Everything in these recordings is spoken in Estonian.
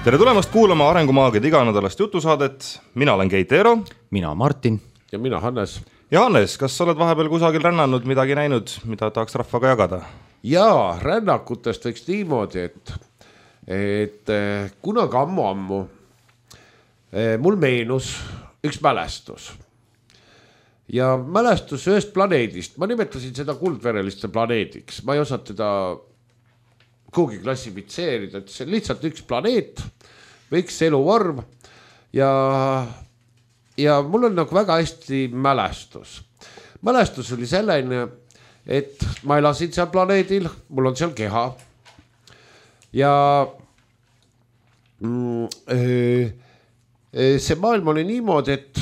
Tere tulemast kuulama Arengumaagide iganädalast jutusaadet. Mina olen Keit Eero. Mina Martin. Ja mina Hannes. Ja Hannes, kas sa oled vahepeal kusagil rännanud, midagi näinud, mida tahaks rahvaga jagada? Jaa, rännakutest võiks niimoodi, et kunagi ammu mul meenus üks mälestus. Ja mälestus ühest planeedist. Ma nimetasin seda kuldvereliste planeediks. Ma ei osanud teda kuhugi klassifitseerida, et see on lihtsalt üks planeet või üks eluvorm ja mul on nagu väga hästi mälestus. Mälestus oli selline, et ma elasin seal planeedil, mul on seal keha ja see maailm oli niimoodi, et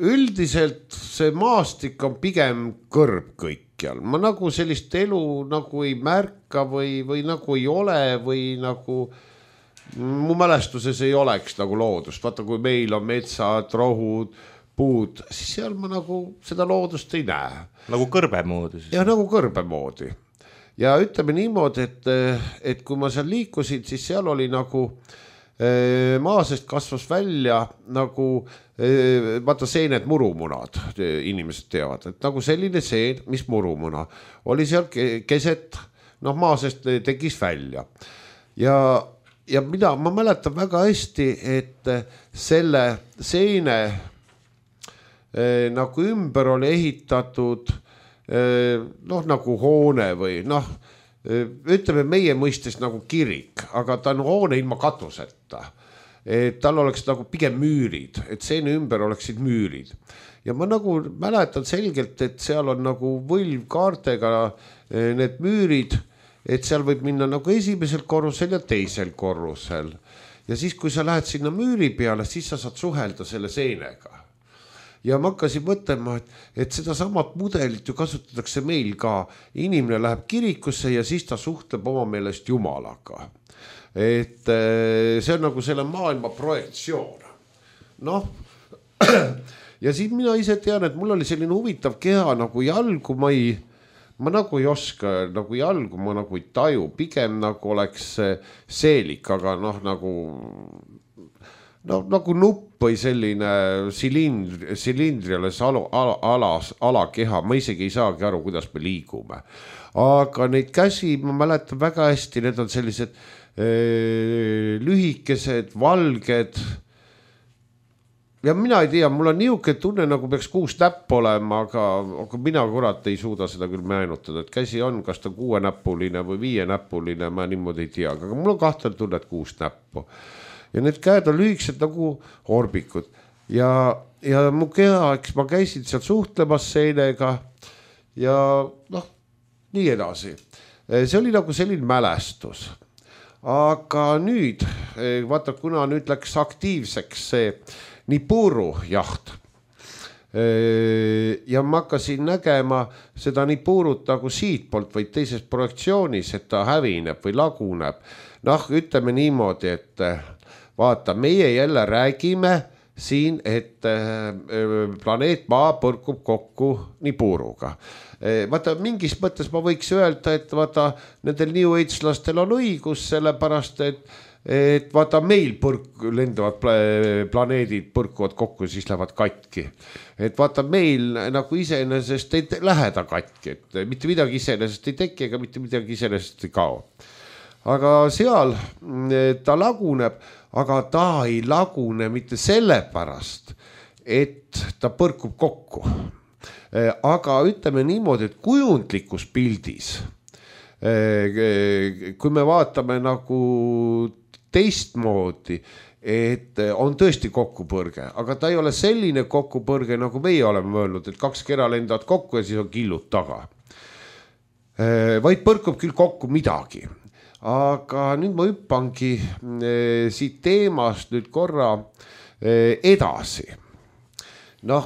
üldiselt see maastik on pigem kõrb kõikjal. Ma nagu sellist elu nagu ei märka või nagu ei ole või nagu mu mälestuses ei oleks nagu loodust. Vaata, kui meil on metsad, rohud, puud, siis seal ma nagu seda loodust ei näe. Nagu kõrbe moodi siis? Ja nagu kõrbe moodi. Ja ütleme niimoodi, et kui ma seal liikusin, siis seal oli nagu maasest kasvas välja nagu vaata seened murumunud, inimesed teavad, et nagu selline seen, mis murumuna oli seal keset, maasest tegis välja ja ma mäletan väga hästi, et selle seene nagu ümber oli ehitatud nagu hoone või ütleme meie mõistes nagu kirik, aga ta on hoone ilma katuseta. Et tal oleks nagu pigem müürid, et seene ümber oleksid müürid. Ja ma nagu mäletan selgelt, et seal on nagu võlvkaartega need müürid, et seal võib minna nagu esimesel korrusel ja teisel korrusel. Ja siis, kui sa lähed sinna müüri peale, siis sa saad suhelda selle seenega. Ja ma hakkasin mõtlema, et seda samat mudelit ju kasutatakse meil ka. Inimene läheb kirikusse ja siis ta suhtleb oma meelest Jumalaga. Et see on nagu selle maailma projektsioon. Ja siis mina ise tean, et mul oli selline huvitav keha nagu jalgu, ma nagu ei oska, nagu jalgu ma nagu ei taju, pigem nagu oleks seelik, aga nagu nupp või selline silindriales alakeha, ma isegi ei saagi aru, kuidas me liigume. Aga neid käsi ma mäletan väga hästi, need on sellised lühikesed, valged ja mina ei tea, mul on niuke tunne, nagu peaks 6 näppu olema, aga mina kurat ei suuda seda küll meenutada, et käsi on, kas ta 6-näppuline või 5-näppuline, ma niimoodi ei tea, aga mul on kahtel tunne, et 6 näppu ja need käed on lühikesed nagu orbikud ja mu keha, eks ma käisin seal suhtlemas seenega ja nii edasi. See oli nagu selline mälestus. Aga nüüd, vaata, kuna nüüd läks aktiivseks see Nipuru jaht ja ma hakkasin nägema seda Nipurut nagu siitpoolt või teises projektsioonis, et ta hävineb või laguneb. Ütleme niimoodi, et vaata, meie jälle räägime siin, et planeet Maa põrkub kokku Nipuruga. Vaata, mingis mõttes ma võiks öelda, et vaata, nendel New Age-lastel on õigus, sellepärast, et vaata, meil lendavad planeedid põrkuvad kokku, siis lähevad katki. Et vaata, meil nagu iseenesest ei lähe ta katki, et mitte midagi iseenesest ei teki, ega mitte midagi iseenesest ei kao. Aga seal ta laguneb, aga ta ei lagune mitte sellepärast, et ta põrkub kokku. Aga ütleme niimoodi, et kujundlikus pildis, kui me vaatame nagu teistmoodi, et on tõesti kokkupõrge, aga ta ei ole selline kokkupõrge, nagu meie oleme öelnud, et 2 kera lendavad kokku ja siis on killud taga. Vaid põrkub küll kokku midagi. Aga nüüd ma hüppangi siit teemast nüüd korra edasi. Me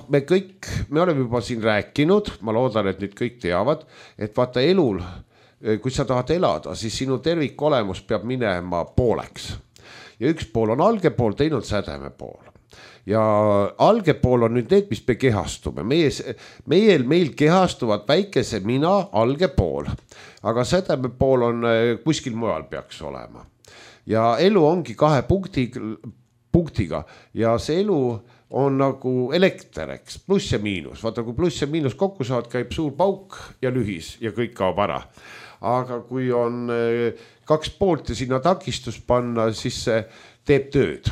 oleme juba siin rääkinud, ma loodan, et nüüd kõik teavad, et vaata elul, kui sa tahad elada, siis sinu tervik olemus peab minema pooleks. Ja üks pool on alge pool, teine on sädeme pool. Ja alge pool on nüüd need, mis me kehastume. Meil kehastuvad väikese mina alge pool, aga sädeme pool on kuskil mujal peaks olema. ja elu ongi 2 punktiga ja see elu on nagu elekter, eks, pluss ja miinus. Vaata, kui pluss ja miinus kokku saad, käib suur pauk ja lühis ja kõik kaob ära. Aga kui on 2 poolt ja sinna takistus panna, siis see teeb tööd.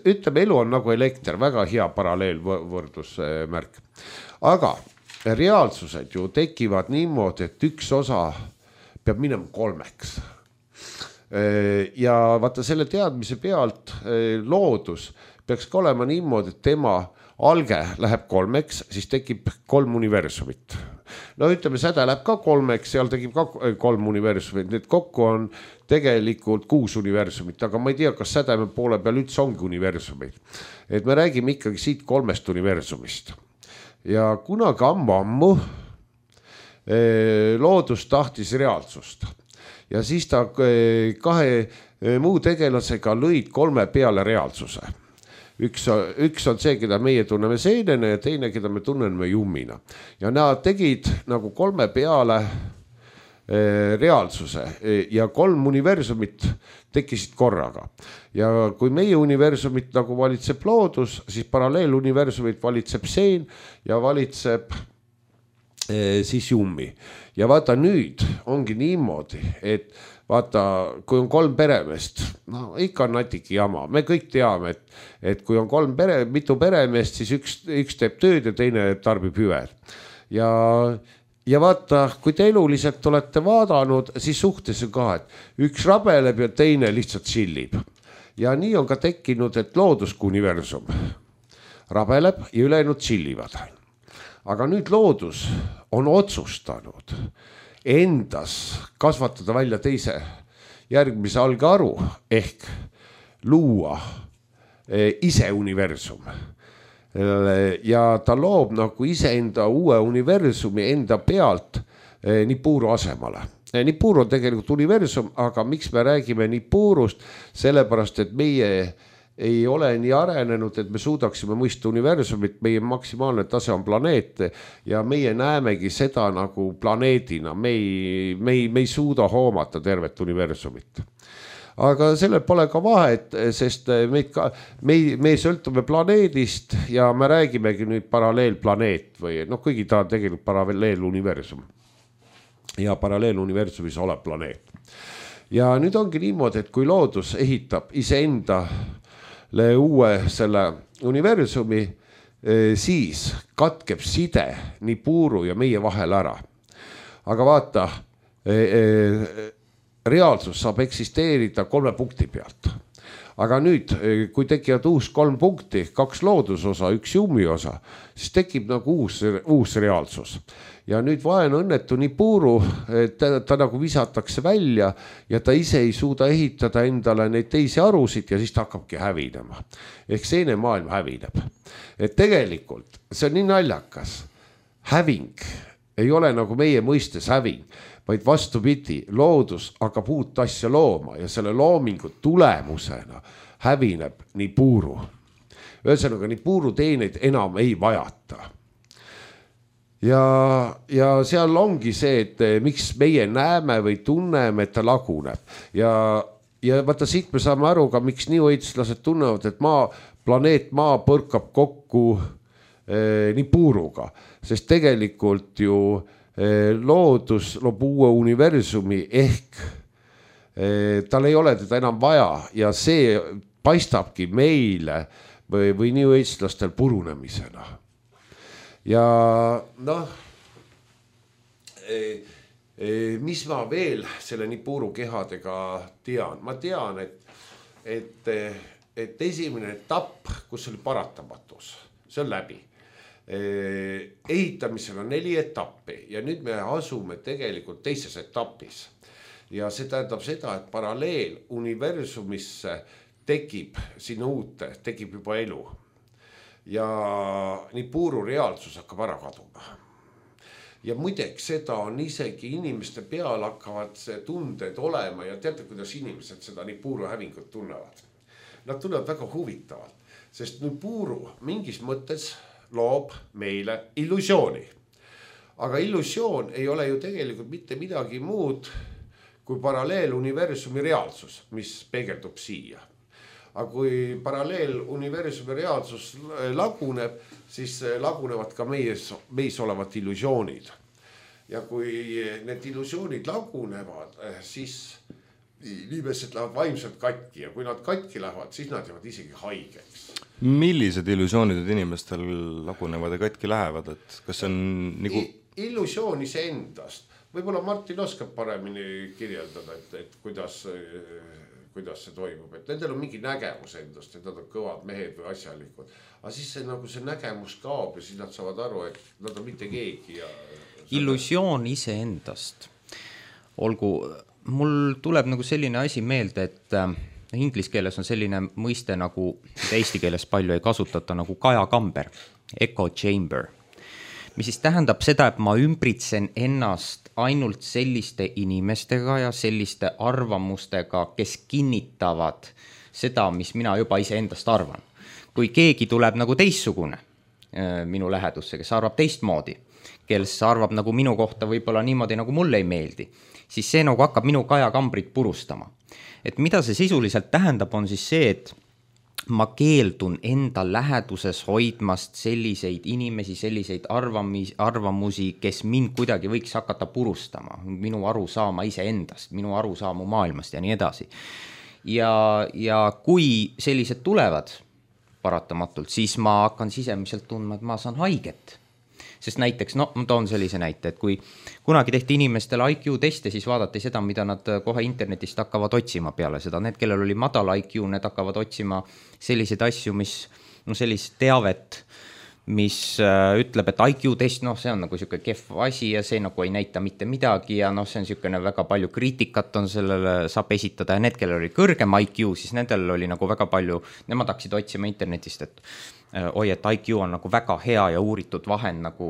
Ütleme, elu on nagu elekter, väga hea paralleelvõrdusmärk. Aga reaalsused ju tekivad niimoodi, et üks osa peab minema 3. Ja vaata selle teadmise pealt loodus peaks ka olema niimoodi, et tema alge läheb 3, siis tekib 3 universumit. No ütleme, säde läheb ka 3, seal tekib ka 3 universumit, need kokku on tegelikult 6 universumit, aga ma ei tea, kas sädeme poole peal üldse ongi universumid. Et me räägime ikkagi siit 3 universumist. Ja kunagi ammu loodus tahtis reaalsust ja siis ta 2 muu tegelasega lõid 3 peale reaalsuse. Üks on see, keda meie tunneme seenena ja teine, keda me tunneme jummina. Ja nad tegid nagu 3 peale reaalsuse ja 3 universumit tekkisid korraga. Ja kui meie universumit nagu valitseb loodus, siis paralleeluniversumit valitseb seen ja valitseb siis jummi. Ja vaata, nüüd ongi niimoodi, et vaata, kui on 3 peremeest, no ikka on natuke jama. Me kõik teame, et kui on 3 mitu peremeest, siis üks teeb tööd ja teine tarbib hüved. Ja vaata, kui te eluliselt olete vaadanud, siis suhtes on ka, et üks rabeleb ja teine lihtsalt chillib. Ja nii on ka tekkinud, et loodusuniversum rabeleb ja ülejäänud chillivad. Aga nüüd loodus on otsustanud endas kasvatada välja teise järgmise algearu ehk luua ise universum. Ja ta loob nagu iseenda uue universumi enda pealt Nibiru asemale. Nibiru on tegelikult universum, aga miks me räägime Nibirust? Sellepärast, et meie ei ole nii arenenud, et me suudaksime mõista universumit, meie maksimaalne tase on planeet ja meie näemegi seda nagu planeedina, me ei suuda hoomata tervet universumit. Aga sellel pole ka vahet, sest me sõltume planeedist ja me räägimegi nüüd paralleelplaneet või kuigi ta on tegelikult paralleeluniversum ja paralleeluniversumis olev planeet. Ja nüüd ongi niimoodi, et kui loodus ehitab iseenda uue selle universumi, siis katkeb side Nibiru ja meie vahel ära. Aga vaata, reaalsus saab eksisteerida 3 punkti pealt. Aga nüüd, kui tekivad uus 3 punkti, 2 loodusosa, 1 jummi osa, siis tekib nagu uus reaalsus. Ja nüüd vaen õnnetu Nibiru, ta nagu visatakse välja ja ta ise ei suuda ehitada endale neid teisi arusid ja siis ta hakkabki hävinema. Ehk seene maailm hävineb. Et tegelikult see on nii naljakas. Häving ei ole nagu meie mõistes häving, vaid vastupidi, loodus hakkab uut asja looma ja selle loomingu tulemusena hävineb Nibiru. Ühesõnaga, Nibiru teeneid enam ei vajata. Ja seal ongi see, et miks meie näeme või tunneme, et ta laguneb. Ja vaata, siit me saame aru ka, miks niuõitslased tunnevad, et planeet Maa põrkab kokku Nibiruga. Sest tegelikult ju loodus loob uue universumi ehk tal ei ole teda enam vaja ja see paistabki meile või niuõitslastel purunemisena. Ja mis ma veel selle Nibiru kehadega tean? Ma tean, et esimene etapp, kus oli paratamatus, see on läbi. Ehitamisel on 4 etappi ja nüüd me asume tegelikult teises etapis. Ja see tähendab seda, et paralleel universumisse tekib sinna uute, tekib juba elu. Ja Nibiru reaalsus hakkab ära kaduma. Ja muideks seda on isegi inimeste peal hakkavad tunded olema ja teate, kuidas inimesed seda Nibiru hävingut tunnevad. Nad tunnevad väga huvitavalt, sest Nibiru mingis mõttes loob meile illusiooni. Aga illusioon ei ole ju tegelikult mitte midagi muud kui paralleeluniversumi reaalsus, mis peegeldub siia. Aga kui paralleeluniversumi reaalsus laguneb, siis lagunevad ka meis olevad illusioonid. Ja kui need illusioonid lagunevad, siis inimesed lähevad vaimselt katki ja kui nad katki lähevad, siis nad jäävad isegi haigeks. Millised illusioonid inimestel lagunevad ja katki lähevad, et kas see on nagu... Illusioon iseendast. Võib-olla Martin oskab paremini kirjeldada, et kuidas see toimub. Et nendel on mingi nägemus endast, et nad on kõvad mehed või asjalikud. Aga siis see nägemus kaob ja siis nad saavad aru, et nad on mitte keegi. Illusioon iseendast. Olgu, mul tuleb nagu selline asi meelde, et inglise keeles on selline mõiste nagu, eesti keeles palju ei kasutata, nagu kajakamber, echo chamber, mis siis tähendab seda, et ma ümbritsen ennast ainult selliste inimestega ja selliste arvamustega, kes kinnitavad seda, mis mina juba iseendast arvan. Kui keegi tuleb nagu teistsugune minu lähedusse, kes arvab teistmoodi, kes arvab nagu minu kohta võib-olla niimoodi, nagu mulle ei meeldi, siis see nagu hakkab minu kajakambrit purustama. Et mida see sisuliselt tähendab, on siis see, et ma keeldun enda läheduses hoidmast selliseid inimesi, selliseid arvamusi, kes mind kuidagi võiks hakata purustama, minu arusaama iseendast, minu arusaamu maailmast ja nii edasi. Ja kui sellised tulevad paratamatult, siis ma hakkan sisemiselt tundma, et ma saan haiget. Sest näiteks, ma toon sellise näite, et kui kunagi tehti inimestele IQ-teste, siis vaadati seda, mida nad kohe internetist hakkavad otsima peale seda. Need, kellel oli madal IQ, need hakkavad otsima selliseid asju, mis, sellist teavet, mis ütleb, et IQ-test, see on nagu selline kehv asi ja see nagu ei näita mitte midagi ja see on selline väga palju kriitikat on sellele saab esitada ja need, kellel oli kõrgem IQ, siis nendel oli nagu väga palju, nemad hakkasid otsima internetist, et et IQ on nagu väga hea ja uuritud vahend nagu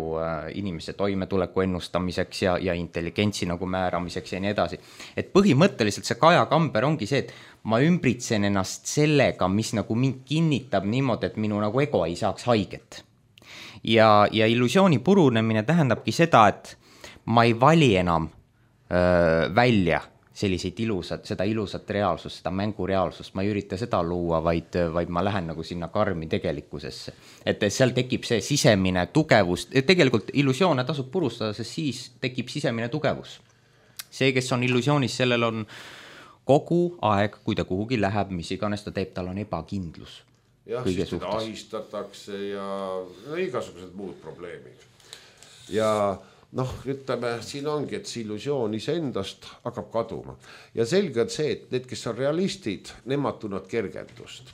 inimese toimetuleku ennustamiseks ja intelligentsi nagu määramiseks ja nii edasi. Et põhimõtteliselt see kajakamber ongi see, et ma ümbritsen ennast sellega, mis nagu mind kinnitab niimoodi, et minu nagu ego ei saaks haiget. Ja illusiooni purunemine tähendabki seda, et ma ei vali enam välja selliseid seda ilusat reaalsust, seda mängureaalsust, ma ei ürita seda luua, vaid ma lähen nagu sinna karmi tegelikkusesse. Et seal tekib see sisemine tugevus, tegelikult illusioone tasub purustada, sest siis tekib sisemine tugevus. See, kes on illusioonis, sellel on kogu aeg, kui ta kuhugi läheb, mis iganes ta teeb, tal on ebakindlus. Jah, siis teda ahistatakse ja igasugused muud probleemid. Ja ütleme, siin ongi, et see illusioon iseendast hakkab kaduma. Ja selge on see, et need, kes on realistid, nemad tunnevad kergendust.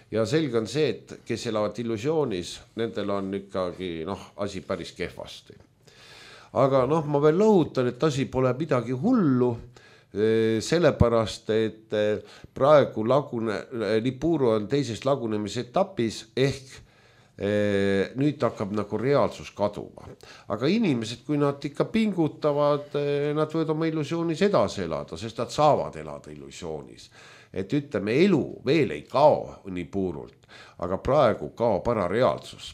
Ja selge on see, et kes elavad illusioonis, nendel on ikkagi asi päris kehvasti. Aga ma veel lõhutan, et asi pole midagi hullu, sellepärast, et praegu Nibiru on teises lagunemise etapis ehk nüüd hakkab nagu reaalsus kaduma. Aga inimesed, kui nad ikka pingutavad, nad võivad oma illusioonis edasi elada, sest nad saavad elada illusioonis. Et ütleme, elu veel ei kao Nibirult, aga praegu kaob ära reaalsus.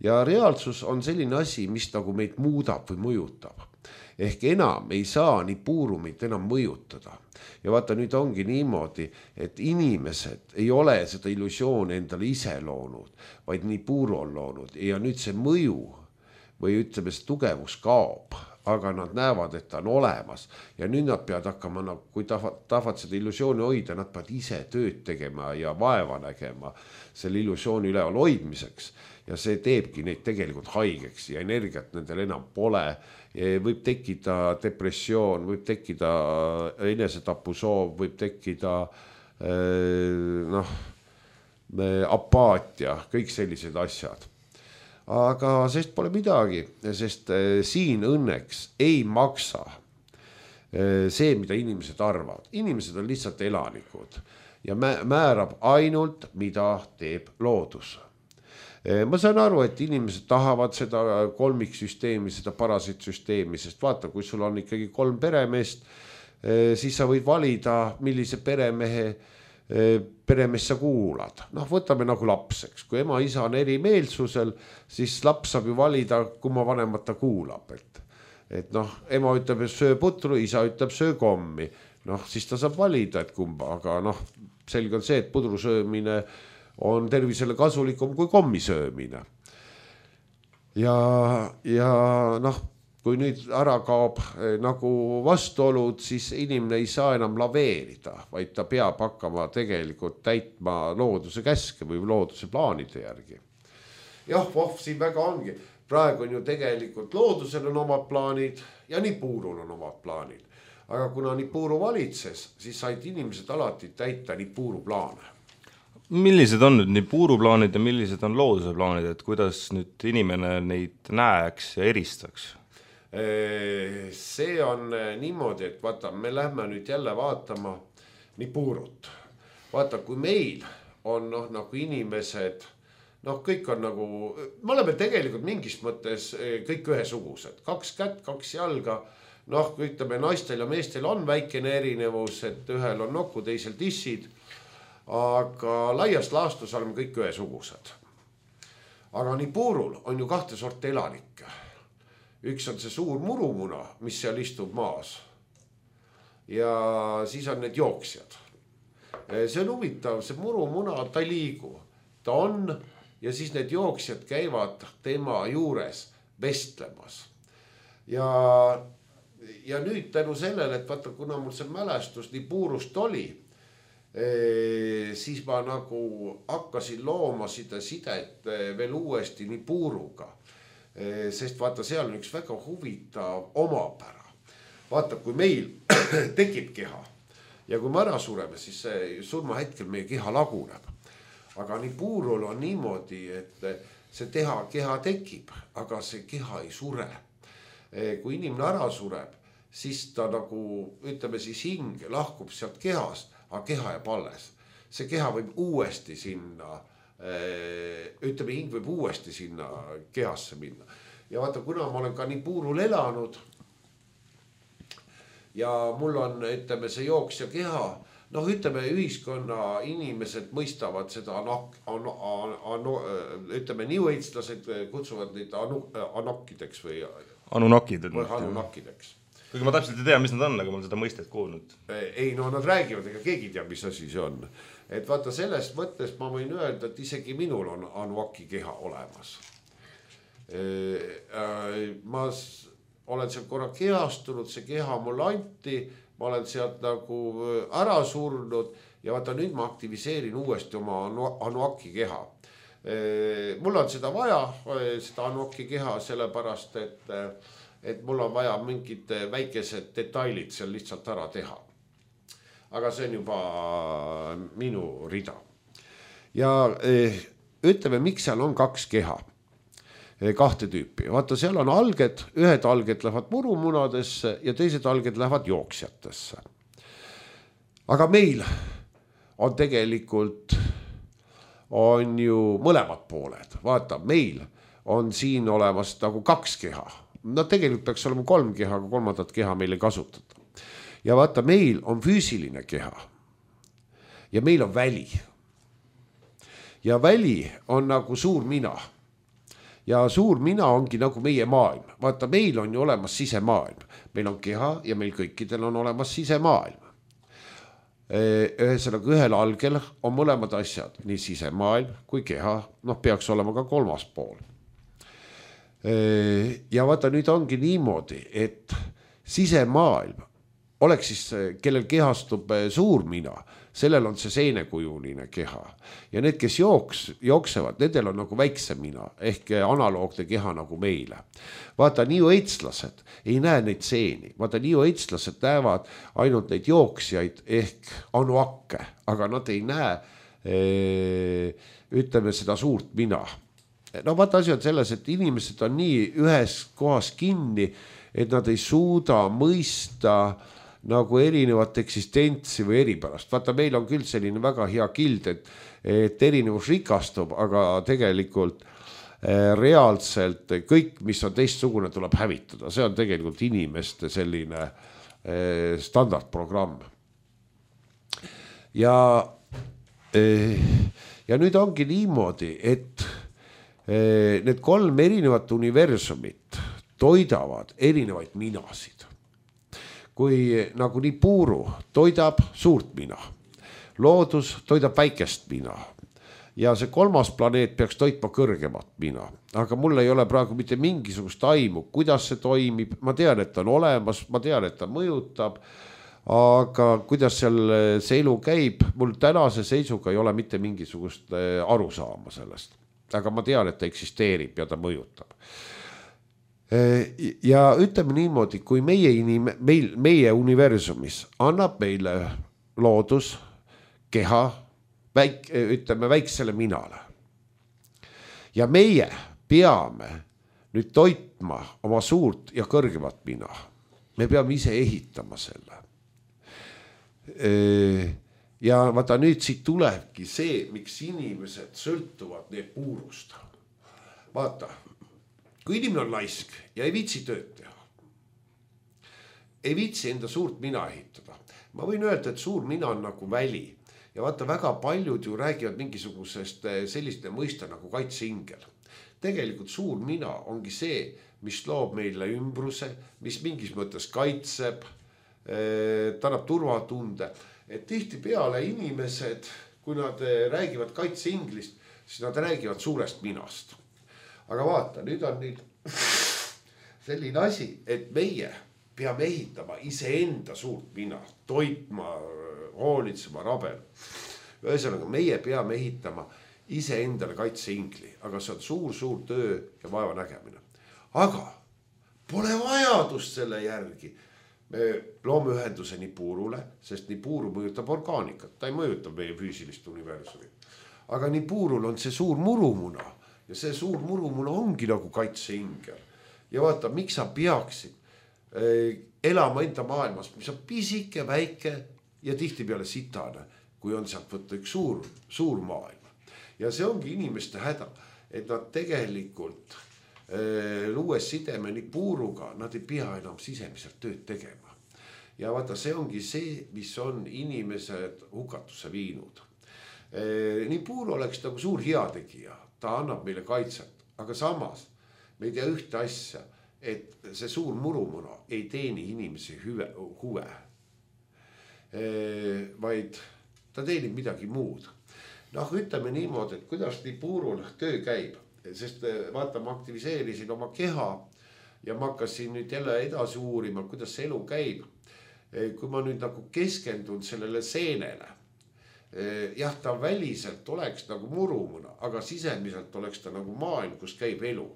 Ja reaalsus on selline asi, mis nagu meid muudab või mõjutab. Ehk enam ei saa Nibirumit enam mõjutada. Ja vaata, nüüd ongi niimoodi, et inimesed ei ole seda illusiooni endale ise loonud, vaid Nibiru on loonud. Ja nüüd see mõju või ütleme, see tugevus kaob, aga nad näevad, et ta on olemas. Ja nüüd nad peavad hakkama, kui tahavad seda illusiooni hoida, nad peavad ise tööd tegema ja vaeva nägema selle illusiooni üleval hoidmiseks. Ja see teebki neid tegelikult haigeks ja energiat nendel enam pole. Võib tekkida depressioon, võib tekkida enesetapusoov, võib tekkida apaatia, kõik sellised asjad. Aga sest pole midagi, sest siin õnneks ei maksa see, mida inimesed arvavad. Inimesed on lihtsalt elanikud ja määrab ainult, mida teeb loodus. Ma saan aru, et inimesed tahavad seda kolmiksüsteemi, seda parasitsüsteemi, sest vaata, kui sul on ikkagi 3 peremeest, siis sa võid valida, millise peremees sa kuulad. Võtame nagu lapseks. Kui ema isa on eri meelsusel, siis laps saab ju valida, kumma vanemat ta kuulab. Et ema ütleb, et söö putru, isa ütleb, söö kommi. noh, siis ta saab valida, et kumba, aga noh, selge on see, et pudru söömine on tervisele kasulikum kui kommi söömine. Ja noh, kui nüüd ära kaob nagu vastuolud, siis inimene ei saa enam laveerida, vaid ta peab hakkama tegelikult täitma looduse käske või looduse plaanide järgi. Jah, siin väga ongi. Praegu on ju tegelikult loodusel on omad plaanid ja Nipuurul on omad plaanid. Aga kuna Nipuuru valitses, siis said inimesed alati täita Nipuuru plaane. Millised on nüüd Nipuuru plaanid ja millised on looduse plaanid, et kuidas nüüd inimene neid näeks ja eristaks? See on niimoodi, et vaata, me lähme nüüd jälle vaatama Nipuurut. Vaata, kui meil on nagu inimesed, kõik on nagu, me oleme tegelikult mingis mõttes kõik ühesugused. 2 kätt, 2 jalga, ütleme naistel ja meestel on väikene erinevus, et ühel on nokku, teisel tissid, aga laias laastus oleme kõik ühesugused. Aga Nipuurul on ju 2 sorti elanikke. Üks on see suur murumuna, mis seal istub maas. Ja siis on need jooksjad. See on huvitav, see murumuna, ta ei liigu. Ta on ja siis need jooksjad käivad tema juures vestlemas. Ja nüüd tänu sellele, et vaata, kuna mul see mälestus Nipuurust oli, siis ma nagu hakkasin looma seda sidet veel uuesti Nipuuruga. Sest vaata, seal on üks väga huvitav omapära. Vaata, kui meil tekib keha ja kui me ära sureme, siis surma hetkel meie keha laguneb. Aga Nipuurul on niimoodi, et see keha tekib, aga see keha ei sure. Kui inimene ära sureb, siis ta nagu, ütleme siis hing lahkub sealt kehast, aga keha jääb alles. See keha võib uuesti sinna, ütleme hing võib uuesti sinna kehasse minna. Ja vaata, kuna ma olen ka Nipuurul elanud ja mul on, ütleme, see jooksja keha, ütleme, ühiskonna inimesed mõistavad seda, ütleme, niueitslased kutsuvad neid anokkideks või anunakkideks. Kuigi ma täpselt ei tea, mis nad on, aga ma olen seda mõistet kuulnud. Ei, nad räägivad, ega keegi tea, mis asi see on. Et vaata, sellest mõttes ma võin öelda, et isegi minul on anuaki keha olemas. Ma olen seal korra kehastunud, see keha mul anti, ma olen sealt nagu ära surnud ja vaata, nüüd ma aktiviseerin uuesti oma anuaki keha. Mul on seda vaja, seda anuaki keha, sellepärast, et mul on vaja mingid väikesed detailid seal lihtsalt ära teha. Aga see on juba minu rida. Ja ütleme, miks seal on 2 keha, 2 tüüpi. Vaata, seal on alged, ühed alged lähevad murumunadesse ja teised alged lähevad jooksjatesse. Aga meil on tegelikult on ju mõlemad pooled. Vaata, meil on siin olemas nagu 2 keha. Tegelikult peaks olema 3 keha, aga 3. keha meil ei kasutata. Ja vaata, meil on füüsiline keha ja meil on väli. Ja väli on nagu suur mina. Ja suur mina ongi nagu meie maailm. Vaata, meil on ju olemas sisemaailm. Meil on keha ja meil kõikidel on olemas sisemaailm. Ühesõnaga, ühel algel on mõlemad asjad, nii sisemaailm kui keha, peaks olema ka 3. pool. Ja vaata, nüüd ongi niimoodi, et sisemaailm oleks siis, kellel kehastub suur mina, sellel on see seenekujuline keha. Ja need, kes jooksevad, nendel on nagu väikse mina, ehk analoogne keha nagu meile. Vaata, niueitslased ei näe neid seeni. Vaata, niueitslased näevad ainult neid jooksjaid ehk anuakke, aga nad ei näe, ütleme, seda suurt mina. Vaata, asi on selles, et inimesed on nii ühes kohas kinni, et nad ei suuda mõista nagu erinevat eksistentsi või eripärast. Vaata, meil on küll selline väga hea kild, et erinevus rikastub, aga tegelikult reaalselt kõik, mis on teistsugune, tuleb hävitada. See on tegelikult inimeste selline standardprogramm. Ja nüüd ongi niimoodi, et need 3 erinevat universumit toidavad erinevaid minasid. kui nagu nii puuru toidab suurt mina, loodus toidab väikest mina ja see kolmas planeet peaks toitma kõrgemat mina, aga mul ei ole praegu mitte mingisugust aimu, kuidas see toimib, ma tean, et ta on olemas, ma tean, et ta mõjutab, aga kuidas seal see elu käib, mul tänase seisuga ei ole mitte mingisugust arusaama sellest, aga ma tean, et ta eksisteerib ja ta mõjutab. Ja ütleme niimoodi, kui meie universumis annab meile loodus, keha, ütleme väiksele minale. Ja meie peame nüüd toitma oma suurt ja kõrgemat mina. Me peame ise ehitama selle. Ja vaata nüüd siit tulebki see, miks inimesed sõltuvad need puurust. Vaata, kui inimene on laisk ja ei viitsi tööd teha, ei viitsi enda suurt mina ehitada. Ma võin öelda, et suur mina on nagu väli. Ja vaata, väga paljud ju räägivad mingisugusest selliste mõiste nagu kaitseingel. Tegelikult suur mina ongi see, mis loob meile ümbruse, mis mingis mõttes kaitseb, ta annab turvatunde. Et tihti peale inimesed, kui nad räägivad kaitseinglist, siis nad räägivad suurest minast. Aga vaata, nüüd on selline asi, et meie peame ehitama iseenda suurt mina, toitma, hoolitsema, rabel. Ühesõnaga, meie peame ehitama iseendale kaitseingli, aga see on suur töö ja vaeva nägemine. Aga pole vajadust selle järgi. Me loome ühenduse Nipuurule, sest Nipuuru mõjutab orgaanikat, ta ei mõjuta meie füüsilist universumi. Aga Nipuurul on see suur murumuna ja see suur murumuna ongi nagu kaitseingel. Ja vaata, miks sa peaksid elama enda maailmas, mis on pisike, väike ja tihti peale sitane, kui on sealt võtta üks suur maailm. Ja see ongi inimeste häda, et nad tegelikult luues sideme Nipuuruga, nad ei pea enam sisemiselt tööd tegema. Ja vaata, see ongi see, mis on inimesed hukatusse viinud. Nipuuru oleks nagu suur heategija, ta annab meile kaitset, aga samas me ei tea ühte asja, et see suur murumuna ei teeni inimese huve. Vaid ta teenib midagi muud. Noh, ütleme niimoodi, et kuidas Nipuurul töö käib, sest vaata, ma aktiviseerisin oma keha ja ma hakkasin nüüd jälle edasi uurima, kuidas see elu käib. Kui ma nüüd nagu keskendun sellele seenele, jah, ta väliselt oleks nagu murumuna, aga sisemiselt oleks ta nagu maailm, kus käib elu.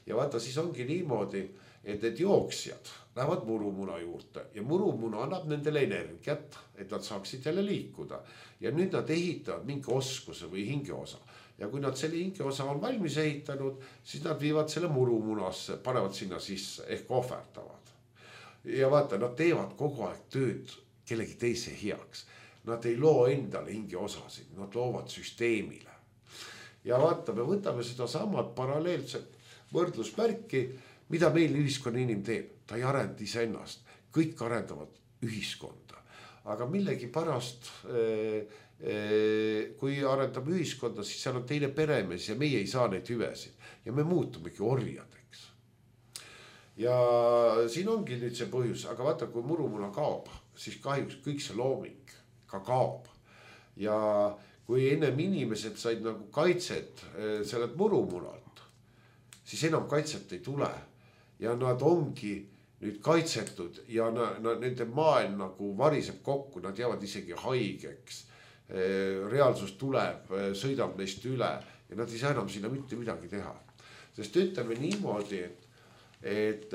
Ja vaata, siis ongi niimoodi, et need jooksjad lähevad murumuna juurde ja murumuna annab nendele energiat, et nad saaksid jälle liikuda. Ja nüüd nad ehitavad mingi oskuse või hingeosa. Ja kui nad selle hingeosa on valmis ehitanud, siis nad viivad selle murumunasse, panevad sinna sisse ehk ohverdavad. Ja vaata, nad teevad kogu aeg tööd kellegi teise heaks. Nad ei loo endale hingeosasid, nad loovad süsteemile. Ja vaata, me võtame seda samad paralleelset võrdlusmärki, mida meil ühiskonna inim teeb. Ta ei arenda iseennast, kõik arendavad ühiskonda. Aga millegi pärast, kui arendame ühiskonda, siis seal on teine peremees ja meie ei saa neid hüvesid. Ja me muutumegi orjadeks. Ja siin ongi nüüd see põhjus, aga vaata, kui murumuna kaob, siis kahjuks kõik see looming ka kaob. Ja kui ennem inimesed said nagu kaitset sellelt murumunalt, siis enam kaitset ei tule. Ja nad ongi nüüd kaitsetud ja nende maailm nagu variseb kokku, nad jäävad isegi haigeks. Reaalsus tuleb, sõidab neist üle ja nad ei saa enam sinna mitte midagi teha. Sest ütleme niimoodi, et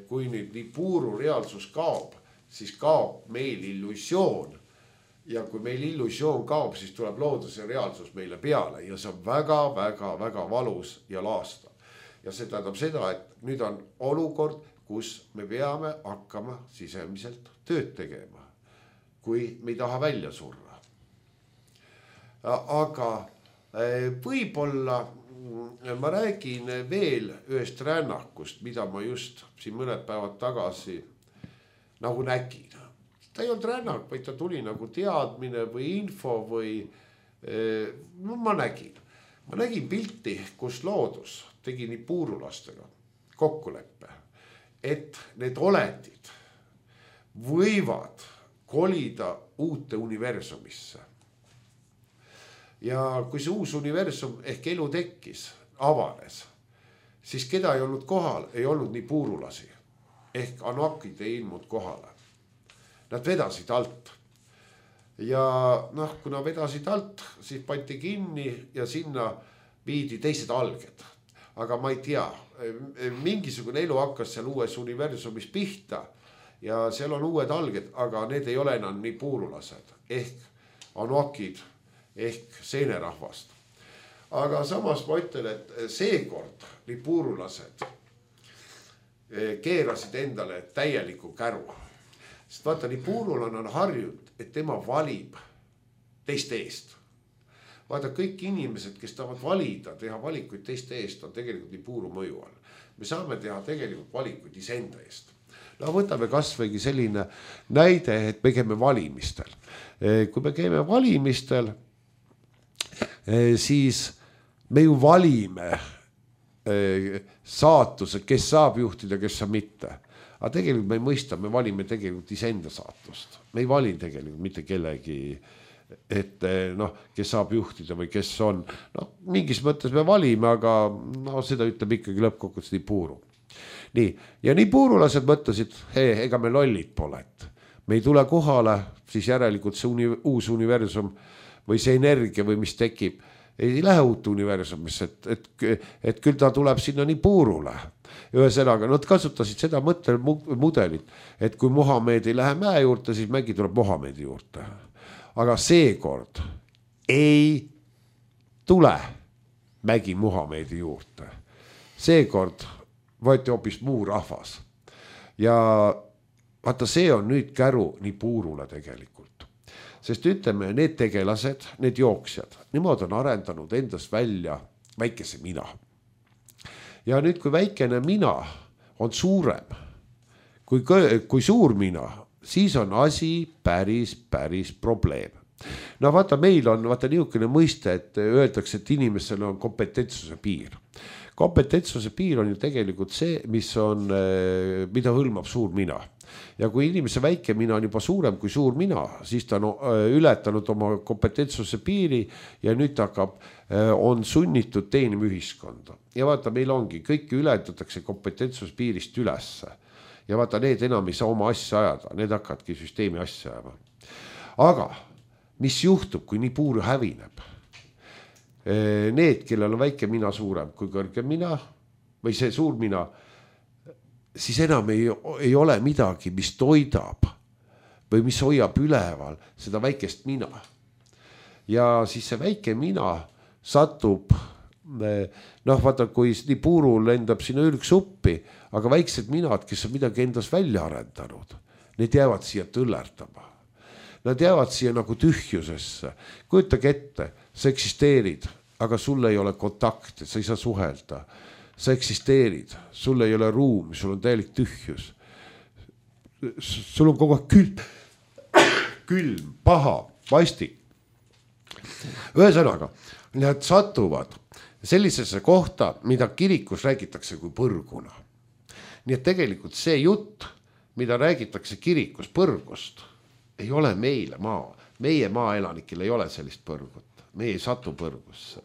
kui nüüd Nipuuru reaalsus kaob, siis kaob meil illusioon. Ja kui meil illusioon kaob, siis tuleb looduse reaalsus meile peale ja see on väga, väga, väga valus ja laastav. Ja see tähendab seda, et nüüd on olukord, kus me peame hakkama sisemiselt tööd tegema, kui me ei taha välja surra. Aga võib-olla ma räägin veel ühest rännakust, mida ma just siin mõned päevad tagasi nagu nägin. Ta ei olnud rännak, vaid ta tuli nagu teadmine või info või ma nägin pilti, kus loodus tegi Nipuurulastega kokkuleppe, et need olendid võivad kolida uute universumisse. Ja kui see uus universum ehk elu tekkis, avanes, siis keda ei olnud kohal, ei olnud nii puurulasi. Ehk Anunnakid ei ilmunud kohale. Nad vedasid alt. Ja kui nad vedasid alt, siis pandi kinni ja sinna viidi teised alged. Aga ma ei tea, mingisugune elu hakkas seal uues universumis pihta ja seal on uued alged, aga need ei ole enam nii puurulased. Ehk Anunnakid ehk seenerahvast. Aga samas ma ütlen, et seekord nii puurulased keerasid endale täieliku käru. Sest vaata, nii puurulane on harjunud, et tema valib teiste eest. Vaata, kõik inimesed, kes tahavad valida, teha valikuid teiste eest, on tegelikult nii puuru mõju all. Me saame teha tegelikult valikuid iseenda eest. Võtame kasvõigi selline näide, et me käime valimistel. Kui me käime valimistel, siis me ju valime saatuse, kes saab juhtida, kes saab mitte. Aga tegelikult me ei mõista, me valime tegelikult iseenda saatust. Me ei vali tegelikult mitte kellegi, et kes saab juhtida või kes on. Mingis mõttes me valime, aga seda ütleb ikkagi lõppkokkuvõttes nii puuru. Nii, ja nii puurulased mõtlesid, ega me lollid pole, et me ei tule kohale, siis järelikult see uus universum või see energia või mis tekib, ei lähe uut universumisse, et küll ta tuleb sinna nii puurule. Ühesõnaga, nad kasutasid seda mõttemudelit, et kui Muhamed ei lähe mäe juurde, siis mägi tuleb Muhamedi juurde. Aga seekord ei tule mägi Muhamedi juurde. Seekord võeti hoopis muu rahvas. Ja vaata, see on nüüd käru nii puurule tegelikult. Sest ütleme, need tegelased, need jooksjad, nemad on arendanud endast välja väikese mina. Ja nüüd, kui väikene mina on suurem kui suur mina, siis on asi päris probleem. Vaata, meil on niisugune mõiste, et öeldakse, et inimesel on kompetentsuse piir. Kompetentsuse piir on ju tegelikult see, mida hõlmab suur mina. Ja kui inimese väike mina on juba suurem kui suur mina, siis ta on ületanud oma kompetentsuse piiri ja nüüd on sunnitud teenima ühiskonda. Ja vaata, meil ongi, kõiki ületatakse kompetentsuse piirist ülesse. Ja vaata, need enam ei saa oma asja ajada, need hakkadki süsteemi asja ajama. Aga mis juhtub, kui nii puur hävineb? Need, kellel on väike mina suurem kui kõrge mina või see suur mina, siis enam ei ole midagi, mis toidab või mis hoiab üleval seda väikest mina. Ja siis see väike mina satub, vaata, kui nii puurul lendab sinna ülgsuppi, aga väiksed minad, kes on midagi endas välja arendanud, need jäävad siia tõllerdama. Nad jäävad siia nagu tühjusesse. Kujutage ette, sa eksisteerid, aga sul ei ole kontakte, sa ei saa suhelda. Sa eksisteerid, sul ei ole ruumi, sul on täielik tühjus. Sul on kogu aeg külm, paha, vastik. Ühesõnaga, nad satuvad sellisesse kohta, mida kirikus räägitakse kui põrguna. Nii et tegelikult see jutt, mida räägitakse kirikus põrgust, ei ole meile meie maaelanikil ei ole sellist põrgut. Me ei satu põrgusse,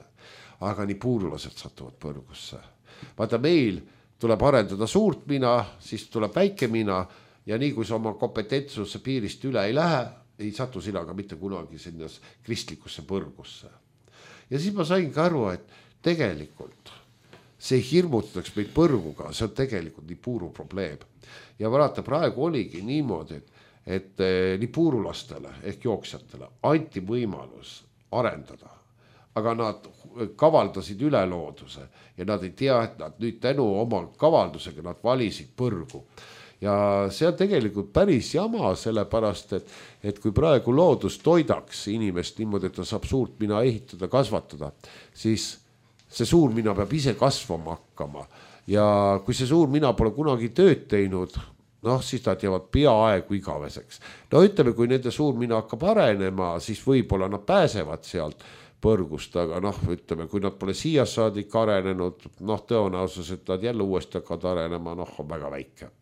aga nii puurulased satuvad põrgusse. Vaata, meil tuleb arendada suurt mina, siis tuleb väike mina ja nii kui sa oma kompetentsuse piirist üle ei lähe, ei satu sina ka mitte kunagi sinna kristlikusse põrgusse. Ja siis ma sain ka aru, et tegelikult see hirmutaks meid põrguga, see on tegelikult nii puuru probleem. Ja vaata, praegu oligi niimoodi, et nii puurulastele ehk jooksjatele anti võimalus arendada, aga nad kavaldasid üle looduse ja nad ei tea, et nad nüüd tänu oma kavaldusega nad valisid põrgu. Ja see on tegelikult päris jama, sellepärast, et kui praegu loodus toidaks inimest niimoodi, et ta saab suurt mina ehitada, kasvatada, siis see suur mina peab ise kasvama hakkama. Ja kui see suur mina pole kunagi tööd teinud, siis nad jäävad peaaegu igaveseks. Ütleme, kui nende suur mina hakkab arenema, siis võib-olla nad pääsevad sealt põrgust, aga ütleme, kui nad pole siia saadik arenenud, tõenäosus, et nad jälle uuesti hakkavad arenema, on väga väike.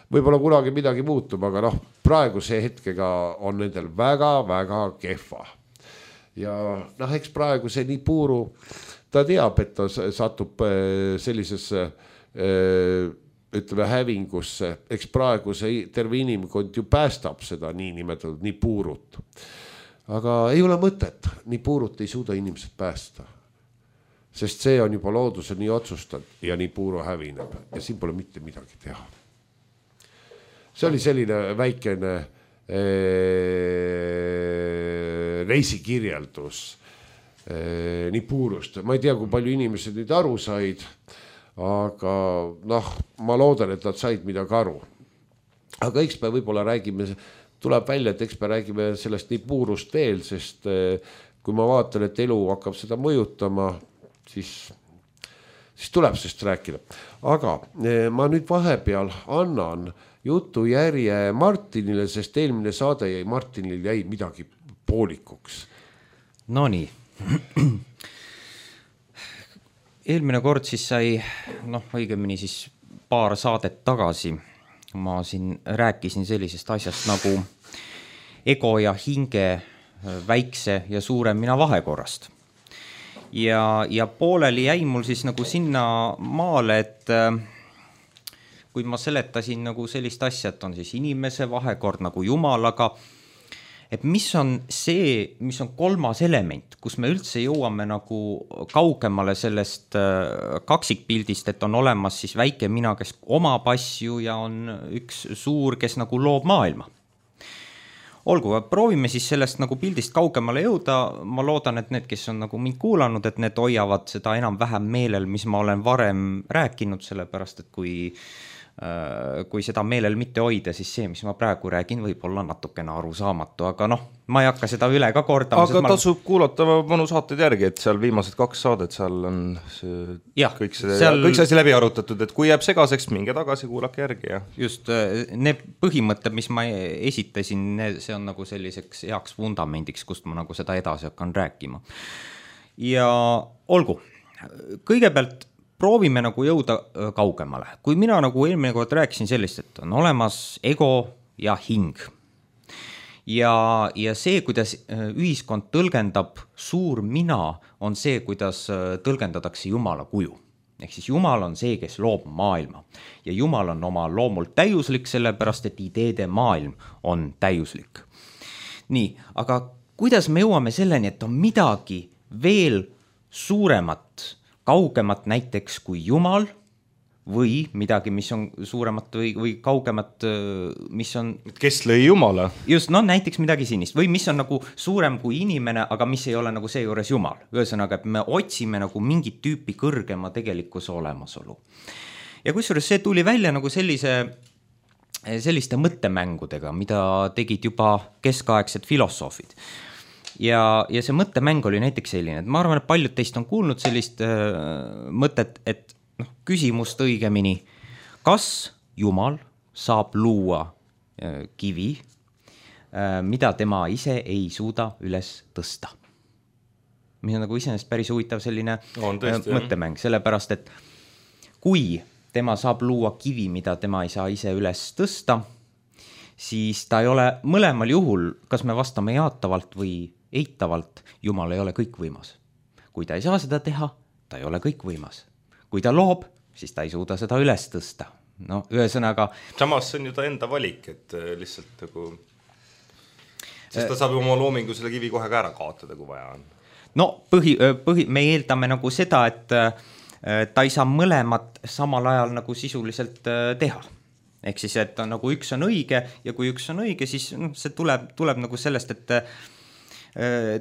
võib-olla kunagi midagi muutub, aga noh, praeguse hetkega on nendel väga-väga kehva. Ja noh, eks praegu see Nipuru, ta teab, et ta satub sellisesse ütleme hävingusse, eks praegu see terve inimkond ju päästab seda niinimetatud Nipurut. Aga ei ole mõtet, Nipurut ei suuda inimesed päästa. Sest see on juba looduse nii otsustanud ja Nipuru hävineb ja siin pole mitte midagi teha. See oli selline väikene reisikirjeldus Nipurust. Ma ei tea, kui palju inimesed nüüd aru said, aga noh, ma loodan, et nad said midagi aru. Aga eks me võib-olla räägime, tuleb välja, et eks me räägime sellest Nipurust veel, sest kui ma vaatan, et elu hakkab seda mõjutama, siis tuleb sest rääkida. Aga ma nüüd vahepeal annan jutujärje Martinile, sest eelmine saade jäi Martinil jäi midagi poolikuks. No nii. Eelmine kord siis sai, õigemini siis paar saadet tagasi ma siin rääkisin sellisest asjast nagu ego ja hinge väikse ja suure mina vahekorrast. Ja pooleli jäi mul siis nagu sinna maale, et kui ma seletasin nagu sellist asja, et on siis inimese vahekord nagu Jumalaga, et mis on see, mis on kolmas element, kus me üldse jõuame nagu kaugemale sellest kaksikpildist, et on olemas siis väike mina, kes omab asju ja on üks suur, kes nagu loob maailma. Olgu, proovime siis sellest nagu pildist kaugemale jõuda. Ma loodan, et need, kes on nagu mind kuulanud, et need hoiavad seda enam vähem meelel, mis ma olen varem rääkinud, sellepärast, et kui seda meelel mitte hoida, siis see, mis ma praegu räägin, võib olla natukene arusaamatu, aga ma ei hakka seda üle ka kordama. Aga tasub kuulata mõnu saated järgi, et seal viimased 2 saadet, seal on kõik see asi läbi arutatud, et kui jääb segaseks, minge tagasi, kuulake järgi. Ja. Just, need põhimõtted, mis ma esitasin, see on nagu selliseks heaks vundamendiks, kust ma nagu seda edasi hakkan rääkima. Ja olgu, kõigepealt proovime nagu jõuda kaugemale. Kui mina nagu eelmine kord rääkisin sellist, et on olemas ego ja hing. Ja see, kuidas ühiskond tõlgendab suur mina, on see, kuidas tõlgendatakse Jumala kuju. Ehk siis Jumal on see, kes loob maailma. Ja Jumal on oma loomult täiuslik, sellepärast, et ideede maailm on täiuslik. Nii, aga kuidas me jõuame selleni, et on midagi veel suuremat, kaugemat näiteks kui Jumal või midagi, mis on suuremat või kaugemat, mis on... Kes lõi Jumala? Just, näiteks midagi sinist või mis on nagu suurem kui inimene, aga mis ei ole nagu see juures Jumal. Ühesõnaga, et me otsime nagu mingit tüüpi kõrgema tegelikkuse olemasolu. Ja kusjuures see tuli välja nagu selliste mõttemängudega, mida tegid juba keskaegsed filosoofid. Ja see mõttemäng oli näiteks selline, et ma arvan, et paljud teist on kuulnud sellist mõtet, et küsimust õigemini, kas Jumal saab luua kivi, mida tema ise ei suuda üles tõsta. Mis on nagu iseenesest päris huvitav selline mõttemäng, sellepärast, et kui tema saab luua kivi, mida tema ei saa ise üles tõsta, siis ta ei ole mõlemal juhul, kas me vastame jaatavalt või eitavalt, Jumal ei ole kõikvõimas. Kui ta ei saa seda teha, ta ei ole kõikvõimas. Kui ta loob, siis ta ei suuda seda üles tõsta. Ühesõnaga... Samas see on ju ta enda valik, et lihtsalt nagu... Sest ta saab oma loomingu selle kivi kohe ka ära kaotada, kui vaja on. Me eeldame nagu seda, et ta ei saa mõlemat samal ajal nagu sisuliselt teha. Ehk siis, et nagu üks on õige ja kui üks on õige, siis see tuleb nagu sellest, et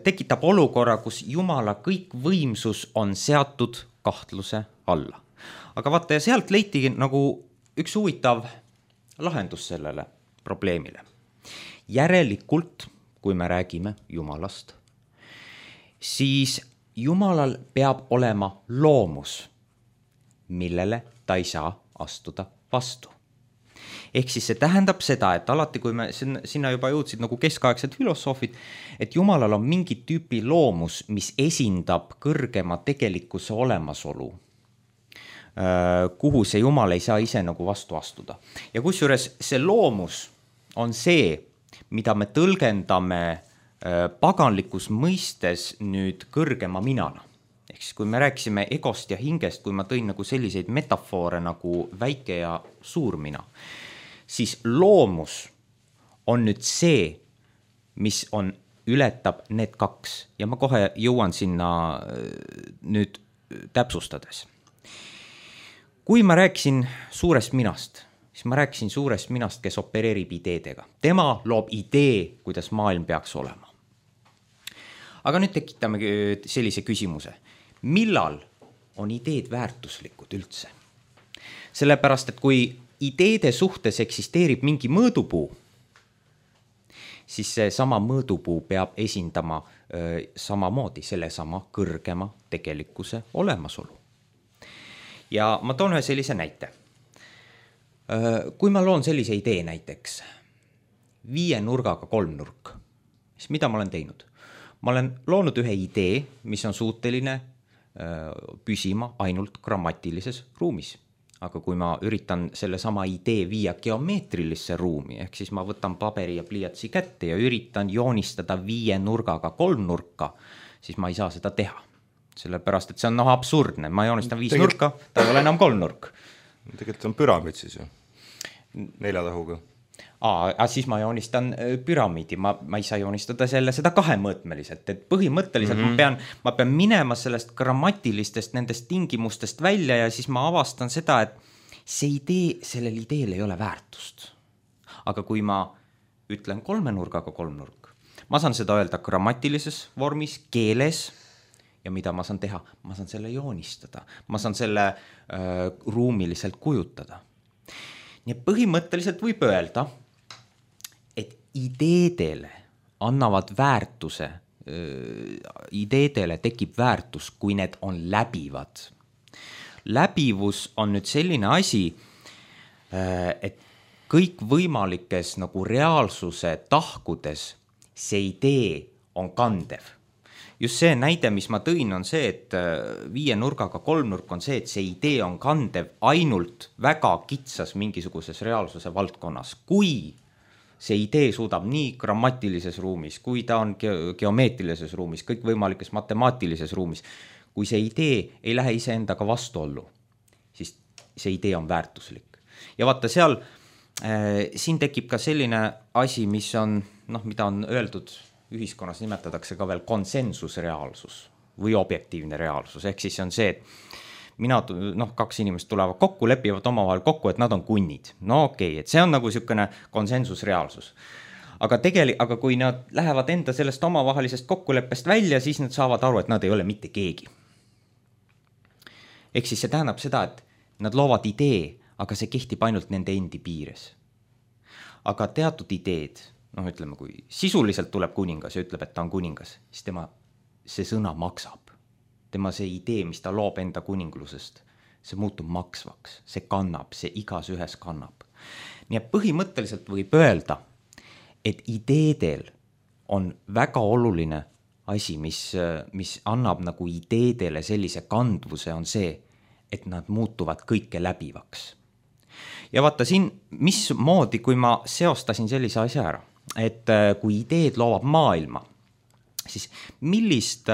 tekitab olukorra, kus Jumala kõik võimsus on seatud kahtluse alla. Aga vaata, ja sealt leitigi nagu üks huvitav lahendus sellele probleemile. Järelikult, kui me räägime Jumalast, siis Jumalal peab olema loomus, millele ta ei saa astuda vastu. Ehk siis see tähendab seda, et alati, kui me sinna juba jõudsid nagu keskaegsed filosoofid, et Jumalal on mingi tüüpi loomus, mis esindab kõrgema tegelikkuse olemasolu. kuhu see jumal ei saa ise nagu vastu astuda. Ja kusjuures see loomus on see, mida me tõlgendame paganlikus mõistes nüüd kõrgema minana. Ehk siis kui me rääkisime egost ja hingest, kui ma tõin nagu selliseid metafoore nagu väike ja suur mina, siis loomus on nüüd see, mis on, ületab need kaks ja ma kohe jõuan sinna nüüd täpsustades. Kui ma rääkisin suurest minast, siis ma rääkisin suurest minast, kes opereerib ideedega. Tema loob idee, kuidas maailm peaks olema. Aga nüüd tekitame sellise küsimuse. Millal on ideed väärtuslikud üldse? Sellepärast, et kui ideede suhtes eksisteerib mingi mõõdupuu, siis see sama mõõdupuu peab esindama samamoodi sellesama kõrgema tegelikkuse olemasolu. Ja ma toon ühe sellise näite. Kui ma loon sellise idee näiteks 5 nurgaga 3 nurk, siis mida ma olen teinud? Ma olen loonud ühe idee, mis on suuteline püsima ainult grammatilises ruumis. Aga kui ma üritan selle sama idee viia geomeetrilisse ruumi, ehk siis ma võtan paberi ja pliiatsi kätte ja üritan joonistada 5 nurgaga 3 nurka, siis ma ei saa seda teha. Sellepärast, et see on absurdne. Ma joonistan 5 nurka, ta ei ole enam 3 nurk. Tegelikult on püramiid siis ju, 4 tahuga. Siis ma joonistan püramiidi, ma ei saa joonistada seda 2-mõõtmeliselt, et põhimõtteliselt ma pean minema sellest grammatilistest nendest tingimustest välja ja siis ma avastan seda, et see idee, sellel ideel ei ole väärtust. Aga kui ma ütlen 3 nurgaga 3 nurk, ma saan seda öelda grammatilises vormis, keeles ja mida ma saan teha? Ma saan selle joonistada, ma saan selle ruumiliselt kujutada. Nii põhimõtteliselt võib öelda, et ideedele annavad väärtuse, ideedele tekib väärtus, kui need on läbivad. Läbivus on nüüd selline asi, et kõik võimalikes nagu reaalsuse tahkudes see idee on kandev. Just see näide, mis ma tõin, on see, et 5 nurgaga 3 nurk on see, et see idee on kandev ainult väga kitsas mingisuguses reaalsuse valdkonnas. Kui see idee suudab nii grammatilises ruumis, kui ta on geomeetrilises ruumis, kõik võimalikes matemaatilises ruumis, kui see idee ei lähe iseendaga vastuollu, siis see idee on väärtuslik. Ja vaata seal, siin tekib ka selline asi, mis on, mida on öeldud, ühiskonnas nimetatakse ka veel konsensusreaalsus või objektiivne reaalsus. Ehk siis on see, et 2 inimest tulevad kokku, lepivad omavahel kokku, et nad on kunnid. Et see on nagu niisugune konsensusreaalsus. Aga kui nad lähevad enda sellest omavahelisest kokkuleppest välja, siis nad saavad aru, et nad ei ole mitte keegi. Ehk siis see tähendab seda, et nad loovad idee, aga see kehtib ainult nende endi piires. Aga teatud ideed, ütleme, kui sisuliselt tuleb kuningas ja ütleb, et ta on kuningas, siis tema see sõna maksab. Tema see idee, mis ta loob enda kuninglusest, see muutub maksvaks, see kannab, see igas ühes kannab. Nii et põhimõtteliselt võib öelda, et ideedel on väga oluline asi, mis annab nagu ideedele sellise kandvuse, on see, et nad muutuvad kõike läbivaks. Ja vaata siin, mismoodi, kui ma seostasin sellise asja ära, et kui ideed loovad maailma, siis millist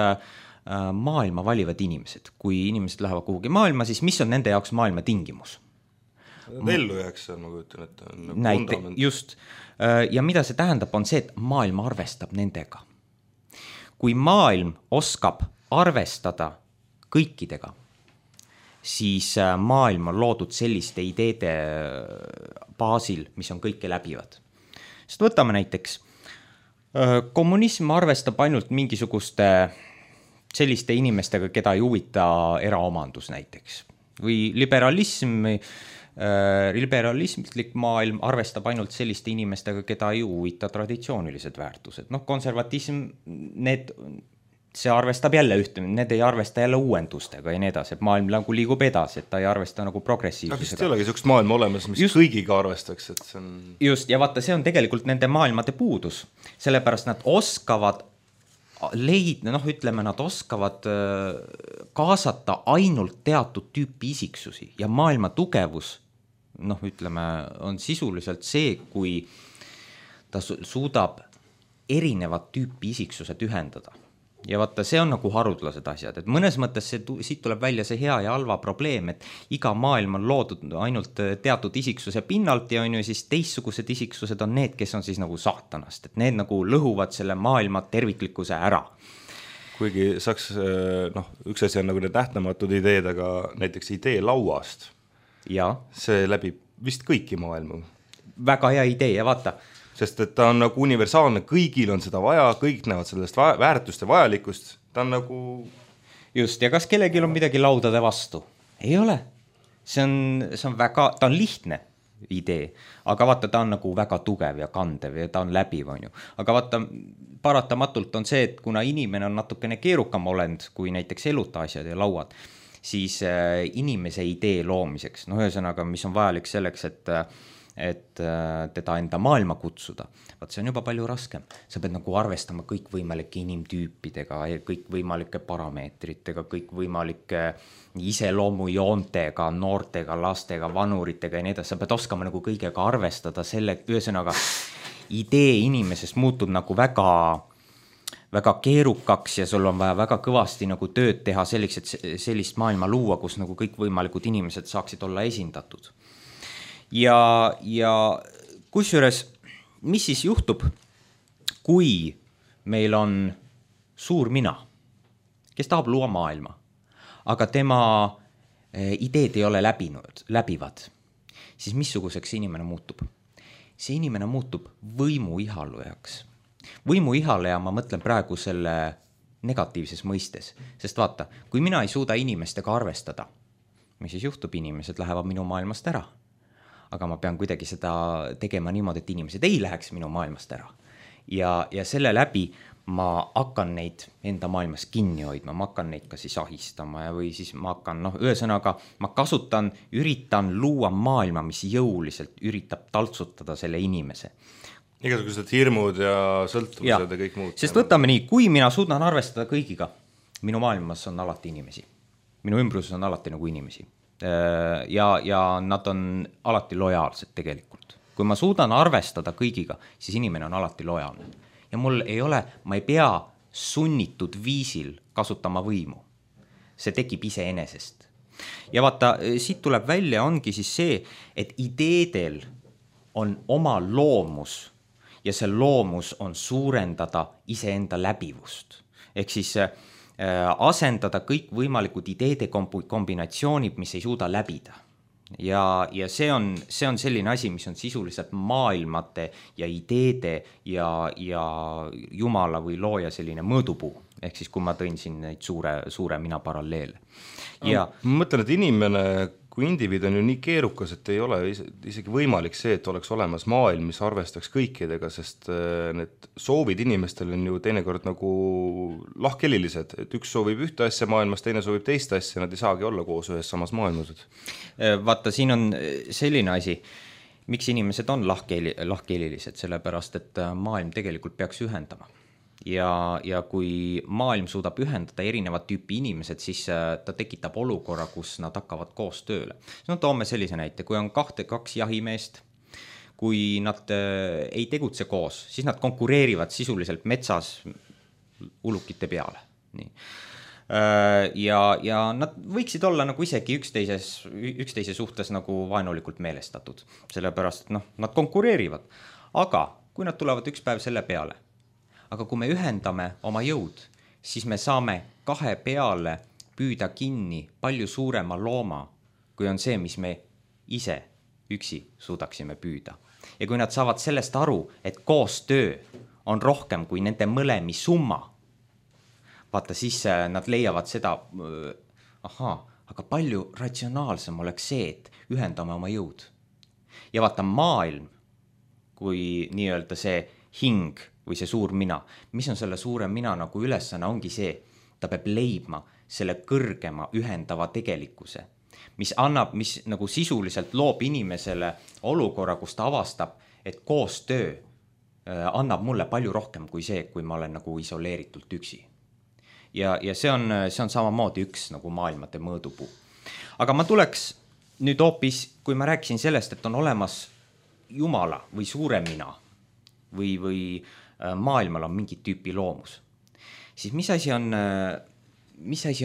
maailma valivad inimesed? Kui inimesed lähevad kuhugi maailma, siis mis on nende jaoks maailma tingimus? Ellu jääks seal, ma kujutan, et on nagu fundament. Just. Ja mida see tähendab, on see, et maailm arvestab nendega. Kui maailm oskab arvestada kõikidega, siis maailm on loodud selliste ideede baasil, mis on kõike läbivad. Sest võtame näiteks, kommunism arvestab ainult mingisuguste selliste inimestega, keda ei huvita eraomandus näiteks. Või liberalismlik maailm arvestab ainult selliste inimestega, keda ei huvita traditsioonilised väärtused. Konservatism, see arvestab jälle ühte, need ei arvesta jälle uuendustega ja nii edasi, et maailm nagu liigub edasi, et ta ei arvesta nagu progressiivsusega. Aga see ei olegi sellist maailma olemas, mis kõigiga arvestaks, et see on... Just, ja vaata, see on tegelikult nende maailmade puudus, sellepärast nad oskavad ütleme, nad oskavad kaasata ainult teatud tüüpi isiksusi ja maailma tugevus, ütleme, on sisuliselt see, kui ta suudab erinevat tüüpi isiksused ühendada. Ja vaata, see on nagu harudlased asjad, et mõnes mõttes siit tuleb välja see hea ja halva probleem, et iga maailm on loodud ainult teatud isiksuse pinnalt ja on ju siis teistsugused isiksused on need, kes on siis nagu saatanast, et need nagu lõhuvad selle maailma terviklikkuse ära. Kuigi saaks, üks asi on nagu need nähtamatud ideed, aga näiteks idee lauast, ja see läbib vist kõiki maailmu. Väga hea idee ja vaata, sest et ta on nagu universaalne, kõigil on seda vaja, kõik näevad sellest väärtust ja vajalikkust, ta on nagu... Just, ja kas kellelgi on midagi laudade vastu? Ei ole. See on väga, ta on lihtne idee, aga vaata, ta on nagu väga tugev ja kandev ja ta on läbiv, on ju. Aga vaata, paratamatult on see, et kuna inimene on natukene keerukam olend kui näiteks eluta asjad ja lauad, siis inimese idee loomiseks, ühesõnaga, mis on vajalik selleks, et teda enda maailma kutsuda. Vaat see on juba palju raskem. Sa pead nagu arvestama kõikvõimalike inimtüüpidega, kõikvõimalike parameetritega, kõikvõimalike iseloomujoontega, noortega, lastega, vanuritega ja nii edasi. Sa pead oskama nagu kõigega arvestada selle, ühesõnaga idee inimesest muutub nagu väga, väga keerukaks ja sul on vaja väga kõvasti nagu tööd teha selleks, et sellist maailma luua, kus nagu kõikvõimalikud inimesed saaksid olla esindatud. Ja kusjuures, mis siis juhtub, kui meil on suur mina, kes tahab luua maailma, aga tema ideed ei ole läbivad, siis missuguseks inimene muutub? See inimene muutub võimuihalujaks. Võimuihaleja ma mõtlen praegu selle negatiivses mõistes, sest vaata, kui mina ei suuda inimestega arvestada, mis siis juhtub, inimesed lähevad minu maailmast ära. Aga ma pean kuidagi seda tegema niimoodi, et inimesed ei läheks minu maailmast ära. Ja selle läbi ma hakkan neid enda maailmas kinni hoidma, ma hakkan neid ka siis ahistama või siis ma hakkan, ühesõnaga, ma üritan luua maailma, mis jõuliselt üritab taltsutada selle inimese. Igasugused hirmud ja sõltuvused ja kõik muud. Sest võtame nii, kui mina suudan arvestada kõigiga, minu maailmas on alati inimesi. Minu ümbruses on alati nagu inimesi. Ja nad on alati lojaalsed tegelikult. Kui ma suudan arvestada kõigiga, siis inimene on alati lojaalne. Ja ma ei pea sunnitud viisil kasutama võimu. See tekib iseenesest. Ja vaata, siit tuleb välja ongi siis see, et ideedel on oma loomus ja see loomus on suurendada iseenda läbivust. Ehk siis asendada kõik võimalikud ideede kombinatsioonid, mis ei suuda läbida. Ja see on selline asi, mis on sisuliselt maailmate ja ideede ja Jumala või looja selline mõõdupuu. Ehk siis, kui ma tõin siin neid suure mina paralleele. Ma mõtlen, et inimene kui indiviid on ju nii keerukas, et ei ole isegi võimalik see, et oleks olemas maailm, mis arvestaks kõikidega, sest need soovid inimestel on ju teinekord nagu lahkhelilised, et üks soovib ühte asja maailmas, teine soovib teist asja, nad ei saagi olla koos ühes samas maailmas. Vaata, siin on selline asi, miks inimesed on lahkhelilised, sellepärast, et maailm tegelikult peaks ühendama. Ja kui maailm suudab ühendada erinevat tüüpi inimesed, siis ta tekitab olukorra, kus nad hakkavad koos tööle. Toome sellise näite, kui on kaks jahimeest, kui nad ei tegutse koos, siis nad konkureerivad sisuliselt metsas ulukite peale. Nii. Ja nad võiksid olla nagu isegi üksteise suhtes nagu vaenulikult meelestatud, sellepärast, et nad konkureerivad. Aga kui nad tulevad üks päev selle peale, aga kui me ühendame oma jõud, siis me saame kahe peale püüda kinni palju suurema looma, kui on see, mis me ise üksi suudaksime püüda. Ja kui nad saavad sellest aru, et koostöö on rohkem kui nende mõlemi summa, vaata siis nad leiavad seda, aga palju ratsionaalsem oleks see, et ühendame oma jõud. Ja vaata maailm, kui nii-öelda see hing või see suur mina, mis on selle suure mina nagu ülesanne, ongi see, ta peab leidma selle kõrgema ühendava tegelikkuse, mis nagu sisuliselt loob inimesele olukorra, kus ta avastab, et koostöö annab mulle palju rohkem kui see, kui ma olen nagu isoleeritult üksi. Ja see on samamoodi üks nagu maailmade mõõdupuu. Aga ma tuleks nüüd hoopis, kui ma rääkisin sellest, et on olemas Jumala või suurem mina või maailmal on mingi tüüpi loomus, siis mis asi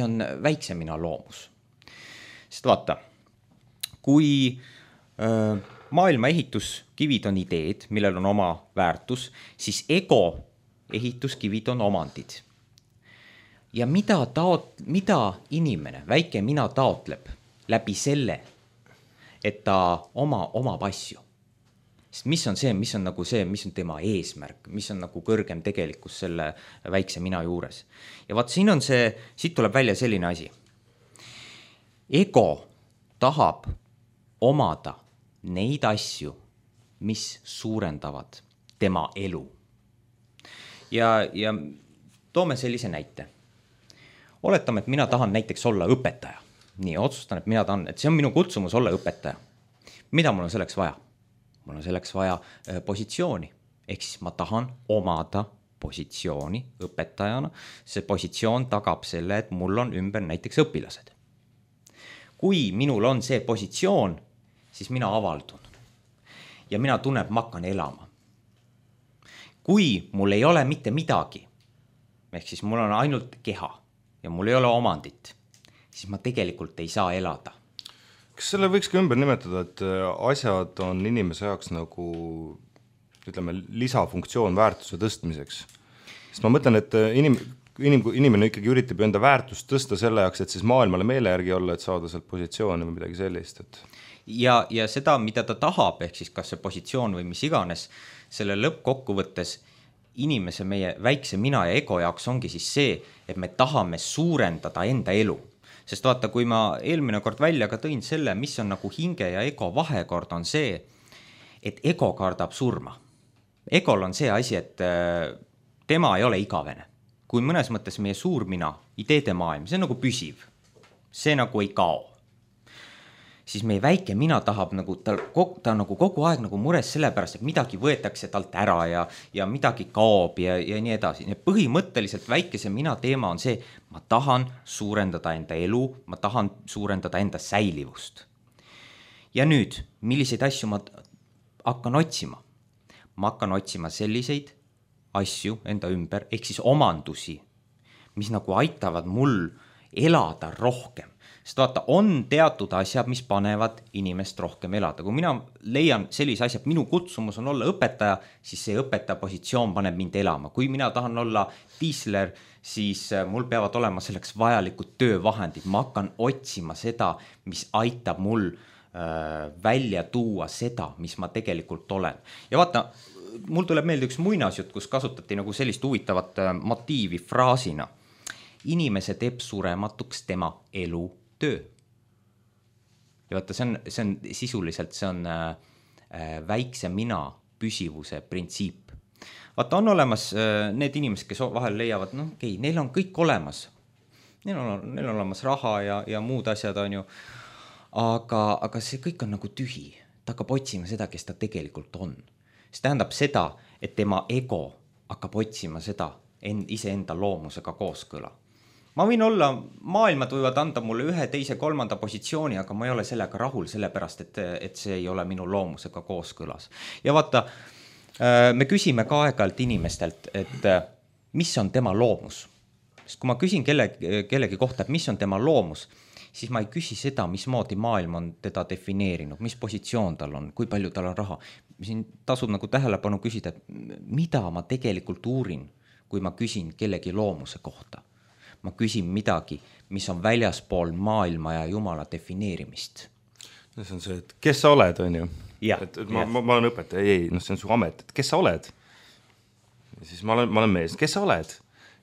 on väiksem mina loomus? Sest vaata, kui maailma ehituskivid on ideed, millel on oma väärtus, siis ego ehituskivid on omandid. Ja mida inimene, väike mina taotleb läbi selle, et ta omab asju? Sest mis on nagu see, mis on tema eesmärk, mis on nagu kõrgem tegelikkus selle väikse mina juures. Ja vaat siit tuleb välja selline asi. Ego tahab omada neid asju, mis suurendavad tema elu. Ja toome sellise näite. Oletame, et mina tahan näiteks olla õpetaja. Nii, otsustan, et see on minu kutsumus olla õpetaja. Mida mul on selleks vaja? Mul on selleks vaja positsiooni. Ehk siis ma tahan omada positsiooni õpetajana. See positsioon tagab selle, et mul on ümber näiteks õpilased. Kui minul on see positsioon, siis mina avaldun. Ja mina tunnen, et ma hakkan elama. Kui mul ei ole mitte midagi, ehk siis mul on ainult keha ja mul ei ole omandit, siis ma tegelikult ei saa elada. Kas selle võiks ka ümber nimetada, et asjad on inimese jaoks nagu, ütleme, lisafunktsioon väärtuse tõstmiseks? Sest ma mõtlen, et inimene ikkagi üritab enda väärtust tõsta selle jaoks, et siis maailmale meele järgi olla, et saada sealt positsiooni või midagi sellist. Et... Ja seda, mida ta tahab, ehk siis kas see positsioon või mis iganes, selle lõppkokkuvõttes inimese, meie väikse mina ja ego jaoks ongi siis see, et me tahame suurendada enda elu. Sest vaata, kui ma eelmine kord välja ka tõin selle, mis on nagu hinge ja ego vahekord, on see, et ego kardab surma. Egol on see asi, et tema ei ole igavene. Kui mõnes mõttes meie suurmina, ideede maailm, see on nagu püsiv. See nagu ei kao. Siis meie väike mina tahab nagu, ta nagu kogu aeg nagu mures selle pärast, et midagi võetakse talt ära ja midagi kaob ja nii edasi. Ja põhimõtteliselt väikese mina teema on see, ma tahan suurendada enda elu, ma tahan suurendada enda säilivust. Ja nüüd, milliseid asju ma hakkan otsima? Ma hakkan otsima selliseid asju enda ümber, ehk siis omandusi, mis nagu aitavad mul elada rohkem. Sest vaata, on teatud asjad, mis panevad inimest rohkem elada. Kui mina leian sellise asja, et minu kutsumus on olla õpetaja, siis see õpetaja positsioon paneb mind elama. Kui mina tahan olla tiisler, siis mul peavad olema selleks vajalikud töövahendid. Ma hakkan otsima seda, mis aitab mul välja tuua seda, mis ma tegelikult olen. Ja vaata, mul tuleb meelde üks muinasjutt, kus kasutati nagu sellist huvitavat motiivi fraasina. Inimese teeb surematuks tema elu töö. Ja vaata, see on sisuliselt, see on väikse mina püsivuse printsiip. Vaata, on olemas need inimesed, kes vahel leiavad, neil on kõik olemas. Neil on olemas raha ja muud asjad on ju. Aga see kõik on nagu tühi. Ta hakkab otsima seda, kes ta tegelikult on. See tähendab seda, et tema ego hakkab otsima seda iseenda loomusega kooskõla. Ma võin olla, maailmad võivad anda mulle 1, 2, 3 positsiooni, aga ma ei ole sellega rahul, sellepärast, et see ei ole minu loomusega kooskõlas. Ja vaata, me küsime ka aeg-ajalt inimestelt, et mis on tema loomus. Sest kui ma küsin kellegi kohta, et mis on tema loomus, siis ma ei küsi seda, mismoodi maailm on teda defineerinud, mis positsioon tal on, kui palju tal on raha. Siin tasub nagu tähelepanu küsida, et mida ma tegelikult uurin, kui ma küsin kellegi loomuse kohta. Ma küsin midagi, mis on väljaspool maailma ja Jumala defineerimist. See on see, et kes sa oled, on ju? Ja, ma olen õpetaja, see on su amet, et kes sa oled? Ja siis ma olen mees, kes sa oled?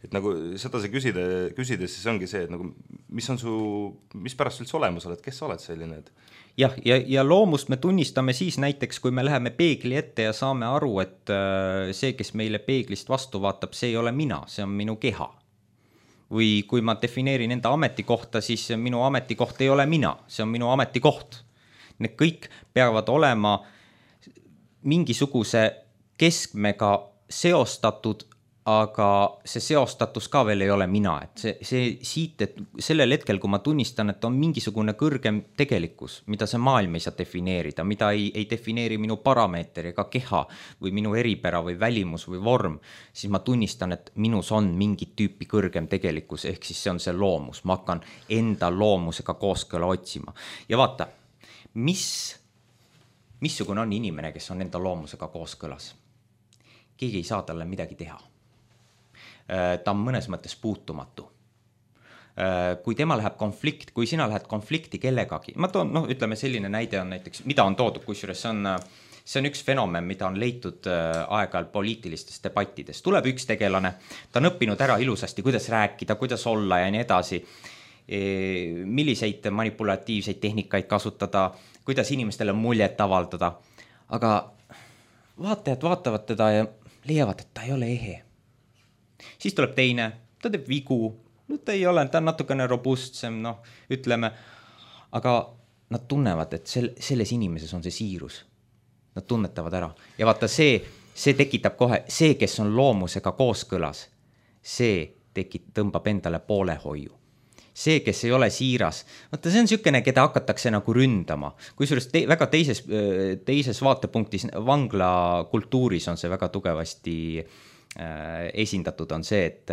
Et nagu seda sa küsides, siis ongi see, et nagu, mis pärast üldse olemas oled, kes sa oled selline? Jah, ja loomust me tunnistame siis näiteks, kui me läheme peegli ette ja saame aru, et see, kes meile peeglist vastu vaatab, see ei ole mina, see on minu keha. Või kui ma defineerin enda ametikohta, siis minu ametikoht ei ole mina, see on minu ametikoht. Need kõik peavad olema mingisuguse keskmega seostatud, aga see seostatus ka veel ei ole mina, et see siit, et sellel hetkel, kui ma tunnistan, et on mingisugune kõrgem tegelikkus, mida see maailm ei saa defineerida, mida ei defineeri minu parameeter ega keha või minu eripära või välimus või vorm, siis ma tunnistan, et minus on mingit tüüpi kõrgem tegelikkus, ehk siis see on see loomus, ma hakkan enda loomusega kooskõla otsima. Ja vaata, missugune on inimene, kes on enda loomusega kooskõlas? Keegi ei saa talle midagi teha. Ta on mõnes mõttes puutumatu. Kui tema läheb konflikt, kui sina lähed konflikti kellegagi, ma toon, ütleme selline näide on näiteks, mida on toodud, kusjuures see on üks fenomen, mida on leitud aeg-ajal poliitilistes debattides. Tuleb üks tegelane, ta on õppinud ära ilusasti, kuidas rääkida, kuidas olla ja nii edasi, milliseid manipulatiivseid tehnikaid kasutada, kuidas inimestele muljet avaldada, aga vaatajad vaatavad teda ja leiavad, et ta ei ole ehe. Siis tuleb teine, ta teeb vigu, ta ei ole, ta on natukene robustsem, ütleme, aga nad tunnevad, et selles inimeses on see siirus. Nad tunnetavad ära. Ja vaata, see tekitab kohe, see, kes on loomusega kooskõlas, see tõmbab endale poolehoiu. See, kes ei ole siiras, vaata, see on niisugune, keda hakatakse nagu ründama. Kusjuures väga teises vaatepunktis vanglakultuuris on see väga tugevasti esindatud on see, et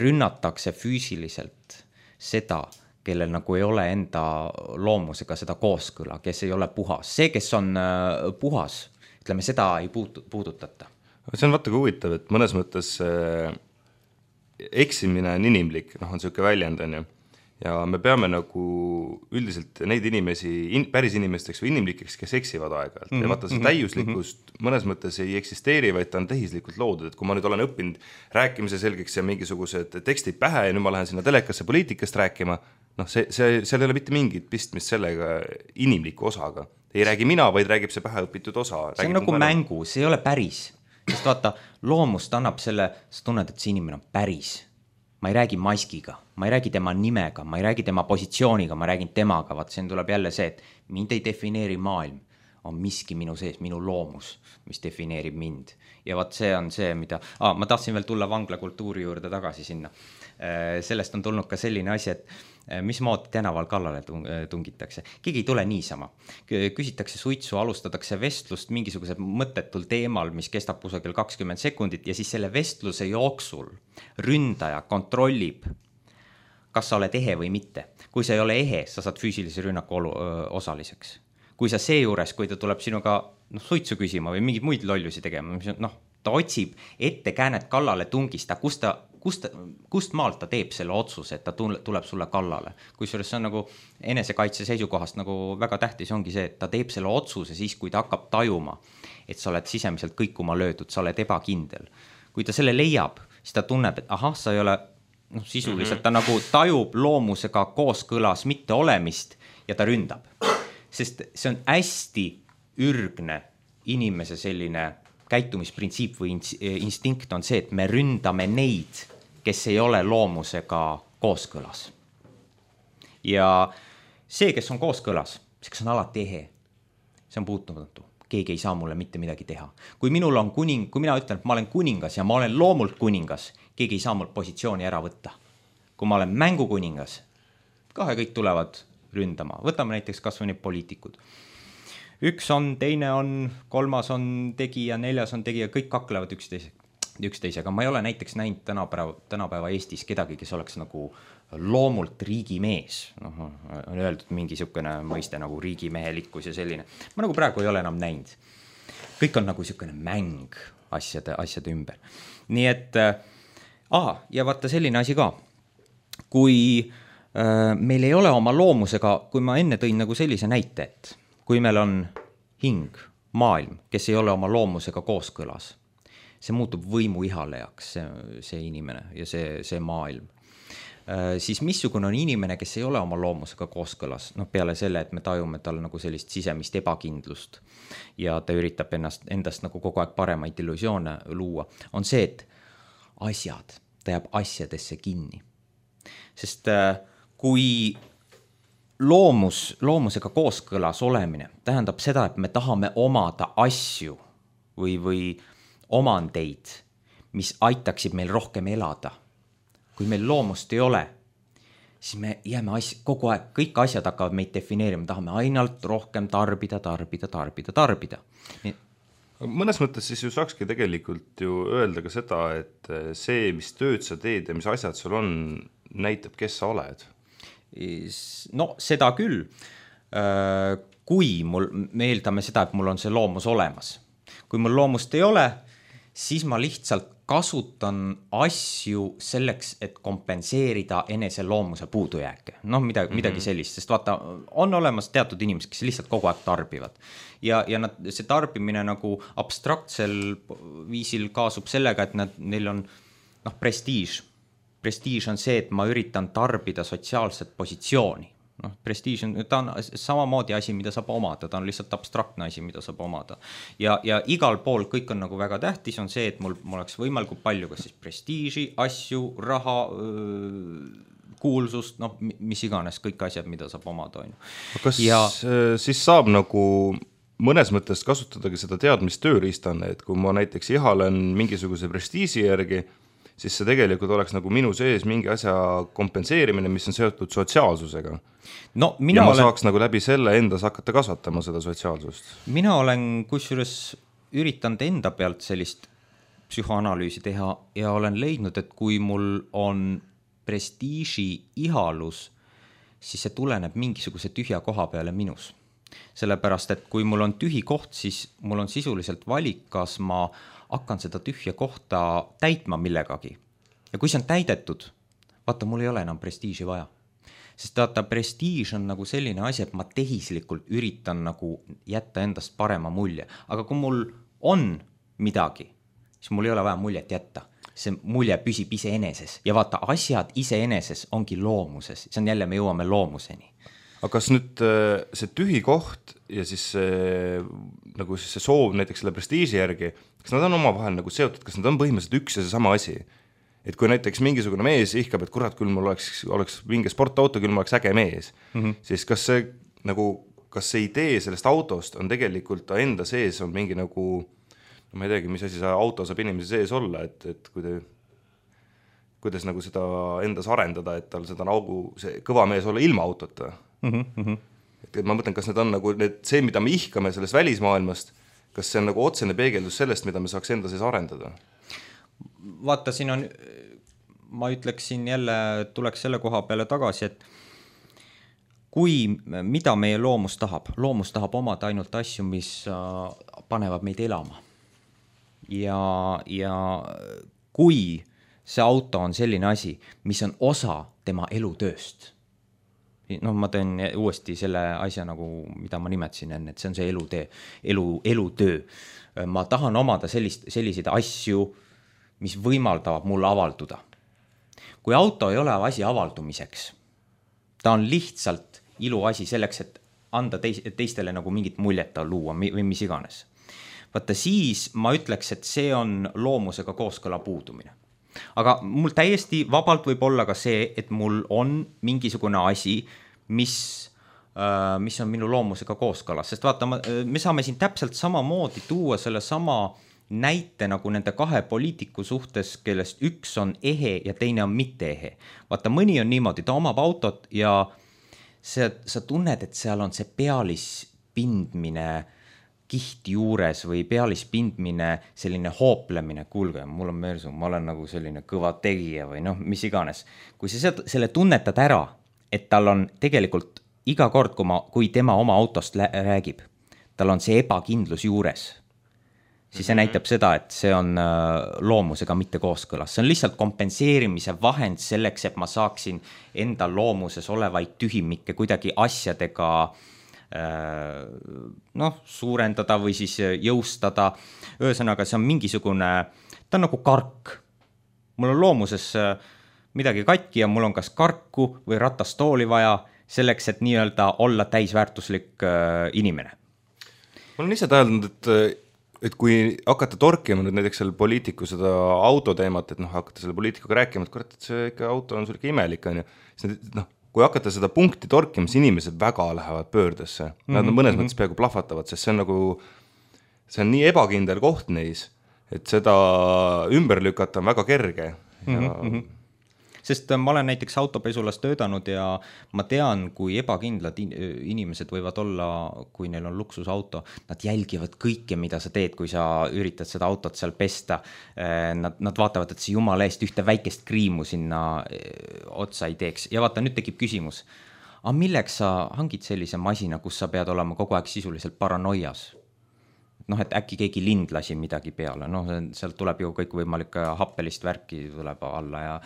rünnatakse füüsiliselt seda, kellel nagu ei ole enda loomusega seda kooskõla, kes ei ole puhas. See, kes on puhas, ütleme, seda ei puudutata. See on vaata kui huvitav, et mõnes mõttes eksimine on inimlik, on niisugune väljend, on ju. Ja me peame nagu üldiselt neid inimesi päris inimesteks või inimlikeks, kes eksivad aeg-ajalt. Ja vaata, see täiuslikkust mõnes mõttes ei eksisteeri, vaid ta on tehislikult loodud. Et kui ma nüüd olen õppinud rääkimise selgeks ja mingisugused tekstid pähe ja nüüd ma lähen sinna telekasse poliitikast rääkima, seal ei ole mitte mingit pistmist sellega inimliku osaga. Ei räägi mina, vaid räägib see pähe õpitud osa. See on nagu mängu, see ei ole päris. Sest vaata, loomust annab selle, sa tunned, et see inimene on päris. Ma ei räägi maskiga, ma ei räägi tema nimega, ma ei räägi tema positsiooniga, ma räägin temaga, vaat siin tuleb jälle see, et mind ei defineeri maailm, on miski minu sees, minu loomus, mis defineerib mind. Ja vaat see on see, mida, ma tahtsin veel tulla vanglakultuuri juurde tagasi sinna. Sellest on tulnud ka selline asi, et mismoodi tänaval kallale tungitakse. Keegi ei tule niisama. Küsitakse suitsu, alustatakse vestlust mingisugusel mõttetul teemal, mis kestab kusagil 20 sekundit ja siis selle vestluse jooksul ründaja kontrollib, kas sa oled ehe või mitte. Kui sa ei ole ehe, sa saad füüsilise rünnaku osaliseks. Kui sa seejuures, kui ta tuleb sinuga suitsu küsima või mingid muid lollusi tegema, ta otsib ettekäänet kallale tungista, kust maalt ta teeb selle otsuse, et ta tuleb sulle kallale. Kusjuures see on nagu enesekaitse seisukohast nagu väga tähtis ongi see, et ta teeb selle otsuse siis, kui ta hakkab tajuma, et sa oled sisemiselt kõikuma löödud, sa oled ebakindel. Kui ta selle leiab, siis ta tunneb, et sa ei ole sisuliselt, ta nagu tajub loomusega kooskõlas mitte olemist ja ta ründab. Sest see on hästi ürgne inimese selline käitumisprintsiip või instinkt on see, et me ründame neid, kes ei ole loomusega kooskõlas. Ja see, kes on kooskõlas, see, kes on alati ehe, see on puutumatu. Keegi ei saa mulle mitte midagi teha. Kui minul on kui mina ütlen, et ma olen kuningas ja ma olen loomult kuningas, keegi ei saa mul positsiooni ära võtta. Kui ma olen mängukuningas, kahe kõik tulevad ründama. Võtame näiteks kas või need poliitikud. Üks on, teine on, kolmas on tegija, neljas on tegija, kõik kaklevad üksteisega. Ma ei ole näiteks näinud tänapäeva Eestis kedagi, kes oleks nagu loomult riigimees. On öeldud mingi niisugune mõiste nagu riigimehelikkus ja selline. Ma nagu praegu ei ole enam näinud. Kõik on nagu niisugune mäng asjade ümber. Nii et, ja vaata selline asi ka. Kui meil ei ole oma loomusega, kui ma enne tõin nagu sellise näite, et kui meil on hing, maailm, kes ei ole oma loomusega kooskõlas, see muutub võimu ihalejaks, see inimene ja see maailm. Siis missugune on inimene, kes ei ole oma loomusega kooskõlas, peale selle, et me tajume tal nagu sellist sisemist ebakindlust ja ta üritab endast nagu kogu aeg paremaid illusioone luua, on see, et ta jääb asjadesse kinni. Sest kui loomusega kooskõlas olemine tähendab seda, et me tahame omada asju või omandeid, mis aitaksid meil rohkem elada. Kui meil loomust ei ole, siis me jääme kogu aeg, kõik asjad hakkavad meid defineerima, tahame ainult rohkem tarbida. Mõnes mõttes siis ju saakski tegelikult ju öelda ka seda, et see, mis tööd sa teed ja mis asjad sul on, näitab, kes sa oled. No seda küll. Kui me eeldame seda, et mul on see loomus olemas. Kui mul loomust ei ole, siis ma lihtsalt kasutan asju selleks, et kompenseerida enese loomuse puudujääke. No midagi sellist, sest vaata, on olemas teatud inimesed, kes lihtsalt kogu aeg tarbivad. Ja see tarbimine nagu abstraktsel viisil kaasub sellega, et neil on prestiiž. Prestiiž on see, et ma üritan tarbida sotsiaalset positsiooni. Prestiiž on, ta on samamoodi asi, mida saab omada, ta on lihtsalt abstraktne asi, mida saab omada. Ja igal pool kõik on nagu väga tähtis, on see, et mul oleks võimalikult palju, kas siis prestiiži, asju, raha, kuulsust, mis iganes, kõik asjad, mida saab omada. Kas siis saab nagu mõnes mõttes kasutadagi seda teadmist tööriistana, et kui ma näiteks ihalen mingisuguse prestiiži järgi, siis see tegelikult oleks nagu minu sees mingi asja kompenseerimine, mis on seotud sotsiaalsusega. No, ja ma saaks nagu läbi selle endas hakata kasvatama seda sotsiaalsust. Mina olen kusjuures üritanud enda pealt sellist psühhoanalüüsi teha ja olen leidnud, et kui mul on prestiiži ihalus, siis see tuleneb mingisuguse tühja koha peale minus. Sellepärast, et kui mul on tühi koht, siis mul on sisuliselt valik, kas ma hakkan seda tühja kohta täitma millegagi. Ja kui see on täidetud, vaata, mul ei ole enam prestiiži vaja. Sest vaata, prestiiž on nagu selline asi, et ma tehislikult üritan nagu jätta endast parema mulje. Aga kui mul on midagi, siis mul ei ole vaja muljet jätta. See mulje püsib iseeneses. Ja vaata, asjad iseeneses ongi loomuses. See on jälle, me jõuame loomuseni. Aga kas nüüd see tühi koht ja siis nagu see soov näiteks selle prestiiži järgi, kas nad on omavahel nagu seotud, kas nad on põhimõtteliselt üks ja see sama asi? Et kui näiteks mingisugune mees ihkab, et kurat, küll mul oleks mingi sportauto, küll mul oleks äge mees, siis kas see idee sellest autost on tegelikult ta enda sees on mingi nagu, no ma ei teagi, mis asi see auto saab inimese sees olla, et kuidas nagu seda endas arendada, et tal seda nagu see kõva mees olla ilma autota. Et ma mõtlen, kas need on nagu see, mida me ihkame sellest välismaailmast, kas see on nagu otsene peegeldus sellest, mida me saaks enda sees arendada? Vaata, siin on, ma ütleksin jälle, tuleks selle koha peale tagasi, et mida meie loomus tahab omada ainult asju, mis panevad meid elama. Ja kui see auto on selline asi, mis on osa tema elutööst, ma teen uuesti selle asja nagu, mida ma nimetasin enne, et see on see elutöö. Ma tahan omada selliseid asju, mis võimaldavad mul avalduda. Kui auto ei ole asi avaldumiseks, ta on lihtsalt iluasi selleks, et anda teistele nagu mingit muljeta luua või mis iganes. Vaata, siis ma ütleks, et see on loomusega kooskõla puudumine. Aga mul täiesti vabalt võib olla ka see, et mul on mingisugune asi, mis on minu loomusega kooskõlas. Sest vaata, me saame siin täpselt samamoodi tuua selle sama näite nagu nende kahe poliitiku suhtes, kellest üks on ehe ja teine on mitte ehe. Vaata, mõni on niimoodi, ta omab autot ja sa tunned, et seal on see pealispindmine kihti juures või pealispindmine selline hooplemine, kuulge, mul on mersu, ma olen nagu selline kõva tegija või mis iganes. Kui sa selle tunnetad ära, et tal on tegelikult iga kord, kui tema oma autost räägib, tal on see ebakindlus juures, siis see näitab seda, et see on loomusega mitte kooskõlas. See on lihtsalt kompenseerimise vahend selleks, et ma saaksin enda loomuses olevaid tühimikke kuidagi asjadega suurendada või siis jõustada. Ühesõnaga, see on mingisugune, ta on nagu kark. Mul on loomuses midagi katki ja mul on kas karku või ratastooli vaja selleks, et nii-öelda olla täisväärtuslik inimene. Ma olen ise täheldanud, et kui hakata torkima nüüd näiteks selle poliitiku seda autoteemat, et hakata selle poliitikuga rääkima, et kurat, et see ikka auto on sul ikka imelik, siis kui hakata seda punkti torkima, siis inimesed väga lähevad pöördesse. Nad mõnes mõttes peaaegu plahvatavad, sest see on nagu see on nii ebakindel koht neis, et seda ümber lükata on väga kerge ja Sest ma olen näiteks autopesulas töötanud ja ma tean, kui ebakindlad inimesed võivad olla, kui neil on luksusauto. Nad jälgivad kõike, mida sa teed, kui sa üritad seda autot seal pesta. Nad vaatavad, et see jumala eest ühte väikest kriimu sinna otsa ei teeks. Ja vaata, nüüd tekib küsimus. Aga milleks sa hangid sellise masina, kus sa pead olema kogu aeg sisuliselt paranoias? Noh, et äkki keegi lind lasi midagi peale. Noh, sealt tuleb ju kõik võimalik happelist värki tuleb alla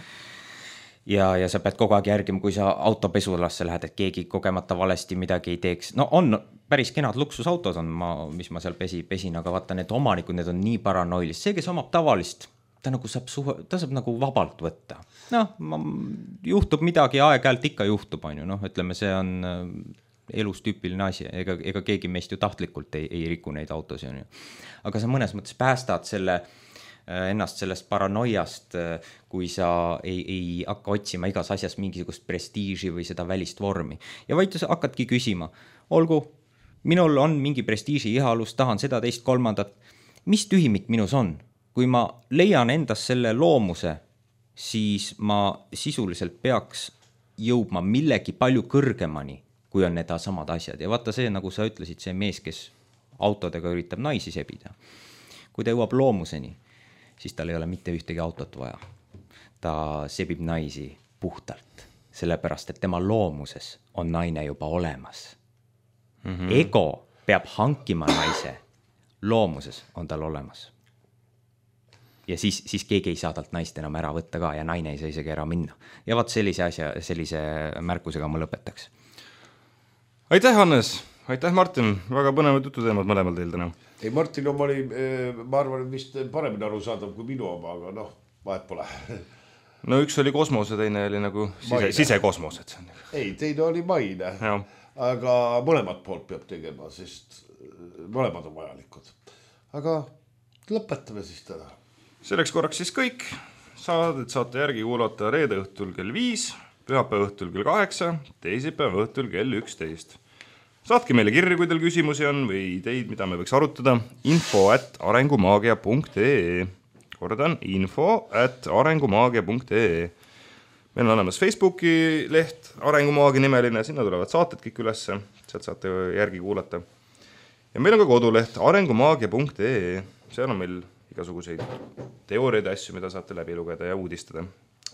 ja sa pead kogu aeg järgima, kui sa autopesulasse lähed, et keegi kogemata valesti midagi ei teeks. No on päris kenad luksusautod on, mis ma seal pesin, aga vaata, need omanikud, need on nii paranoilist. See, kes omab tavalist, ta saab nagu vabalt võtta. Noh, juhtub midagi, aeg-ajalt ikka juhtub, noh, ütleme, see on elus tüüpiline asi, ega keegi meist ju tahtlikult ei riku neid autosi. Aga sa mõnes mõttes päästad ennast sellest paranoiast, kui sa ei hakka otsima igas asjas mingisugust prestiiži või seda välist vormi. Ja vaid sa hakkadki küsima, olgu, minul on mingi prestiiži ihalus, tahan seda, teist, kolmandat. Mis tühimik minus on? Kui ma leian endas selle loomuse, siis ma sisuliselt peaks jõudma millegi palju kõrgemani, kui on need samad asjad. Ja vaata see, nagu sa ütlesid, see mees, kes autodega üritab naisi sebida. Kui ta jõuab loomuseni, siis tal ei ole mitte ühtegi autot vaja. Ta sebib naisi puhtalt, sellepärast, et tema loomuses on naine juba olemas. Ego peab hankima naise, loomuses on tal olemas. Ja siis keegi ei saa talt naist enam ära võtta ka ja naine ei saa isegi ära minna. Ja vaat sellise märkusega ma lõpetaks. Aitäh, Hannes! Aitäh, Martin! Väga põnevad jututeemad mõlemal teil täna. Ei, Martin oma oli, ma arvan, vist paremini arusaadav kui minu oma, aga noh, vahet pole. No üks oli kosmos ja teine oli nagu sisekosmos. Ei, teine oli maine, aga mõlemad poolt peab tegema, sest mõlemad on vajalikud. Aga lõpetame siis täna. Selleks korraks siis kõik. Saadet saate järgi kuulata reede õhtul kell 5, pühapäeva õhtul kell 8, teisipäeva õhtul kell 11. Saatke meile kirju, kui teil küsimusi on või ideid, mida me võiks arutada. info@arengumaagia.ee. Kordan, info@arengumaagia.ee. Meil on olemas Facebooki leht, Arengumaagia nimeline, sinna tulevad saated kõik ülesse, sealt saate järgi kuulata. Ja meil on ka koduleht arengumaagia.ee. Seal on meil igasuguseid teooriaid asju, mida saate läbi lugeda ja uudistada.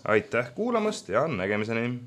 Aitäh kuulamast ja nägemiseni!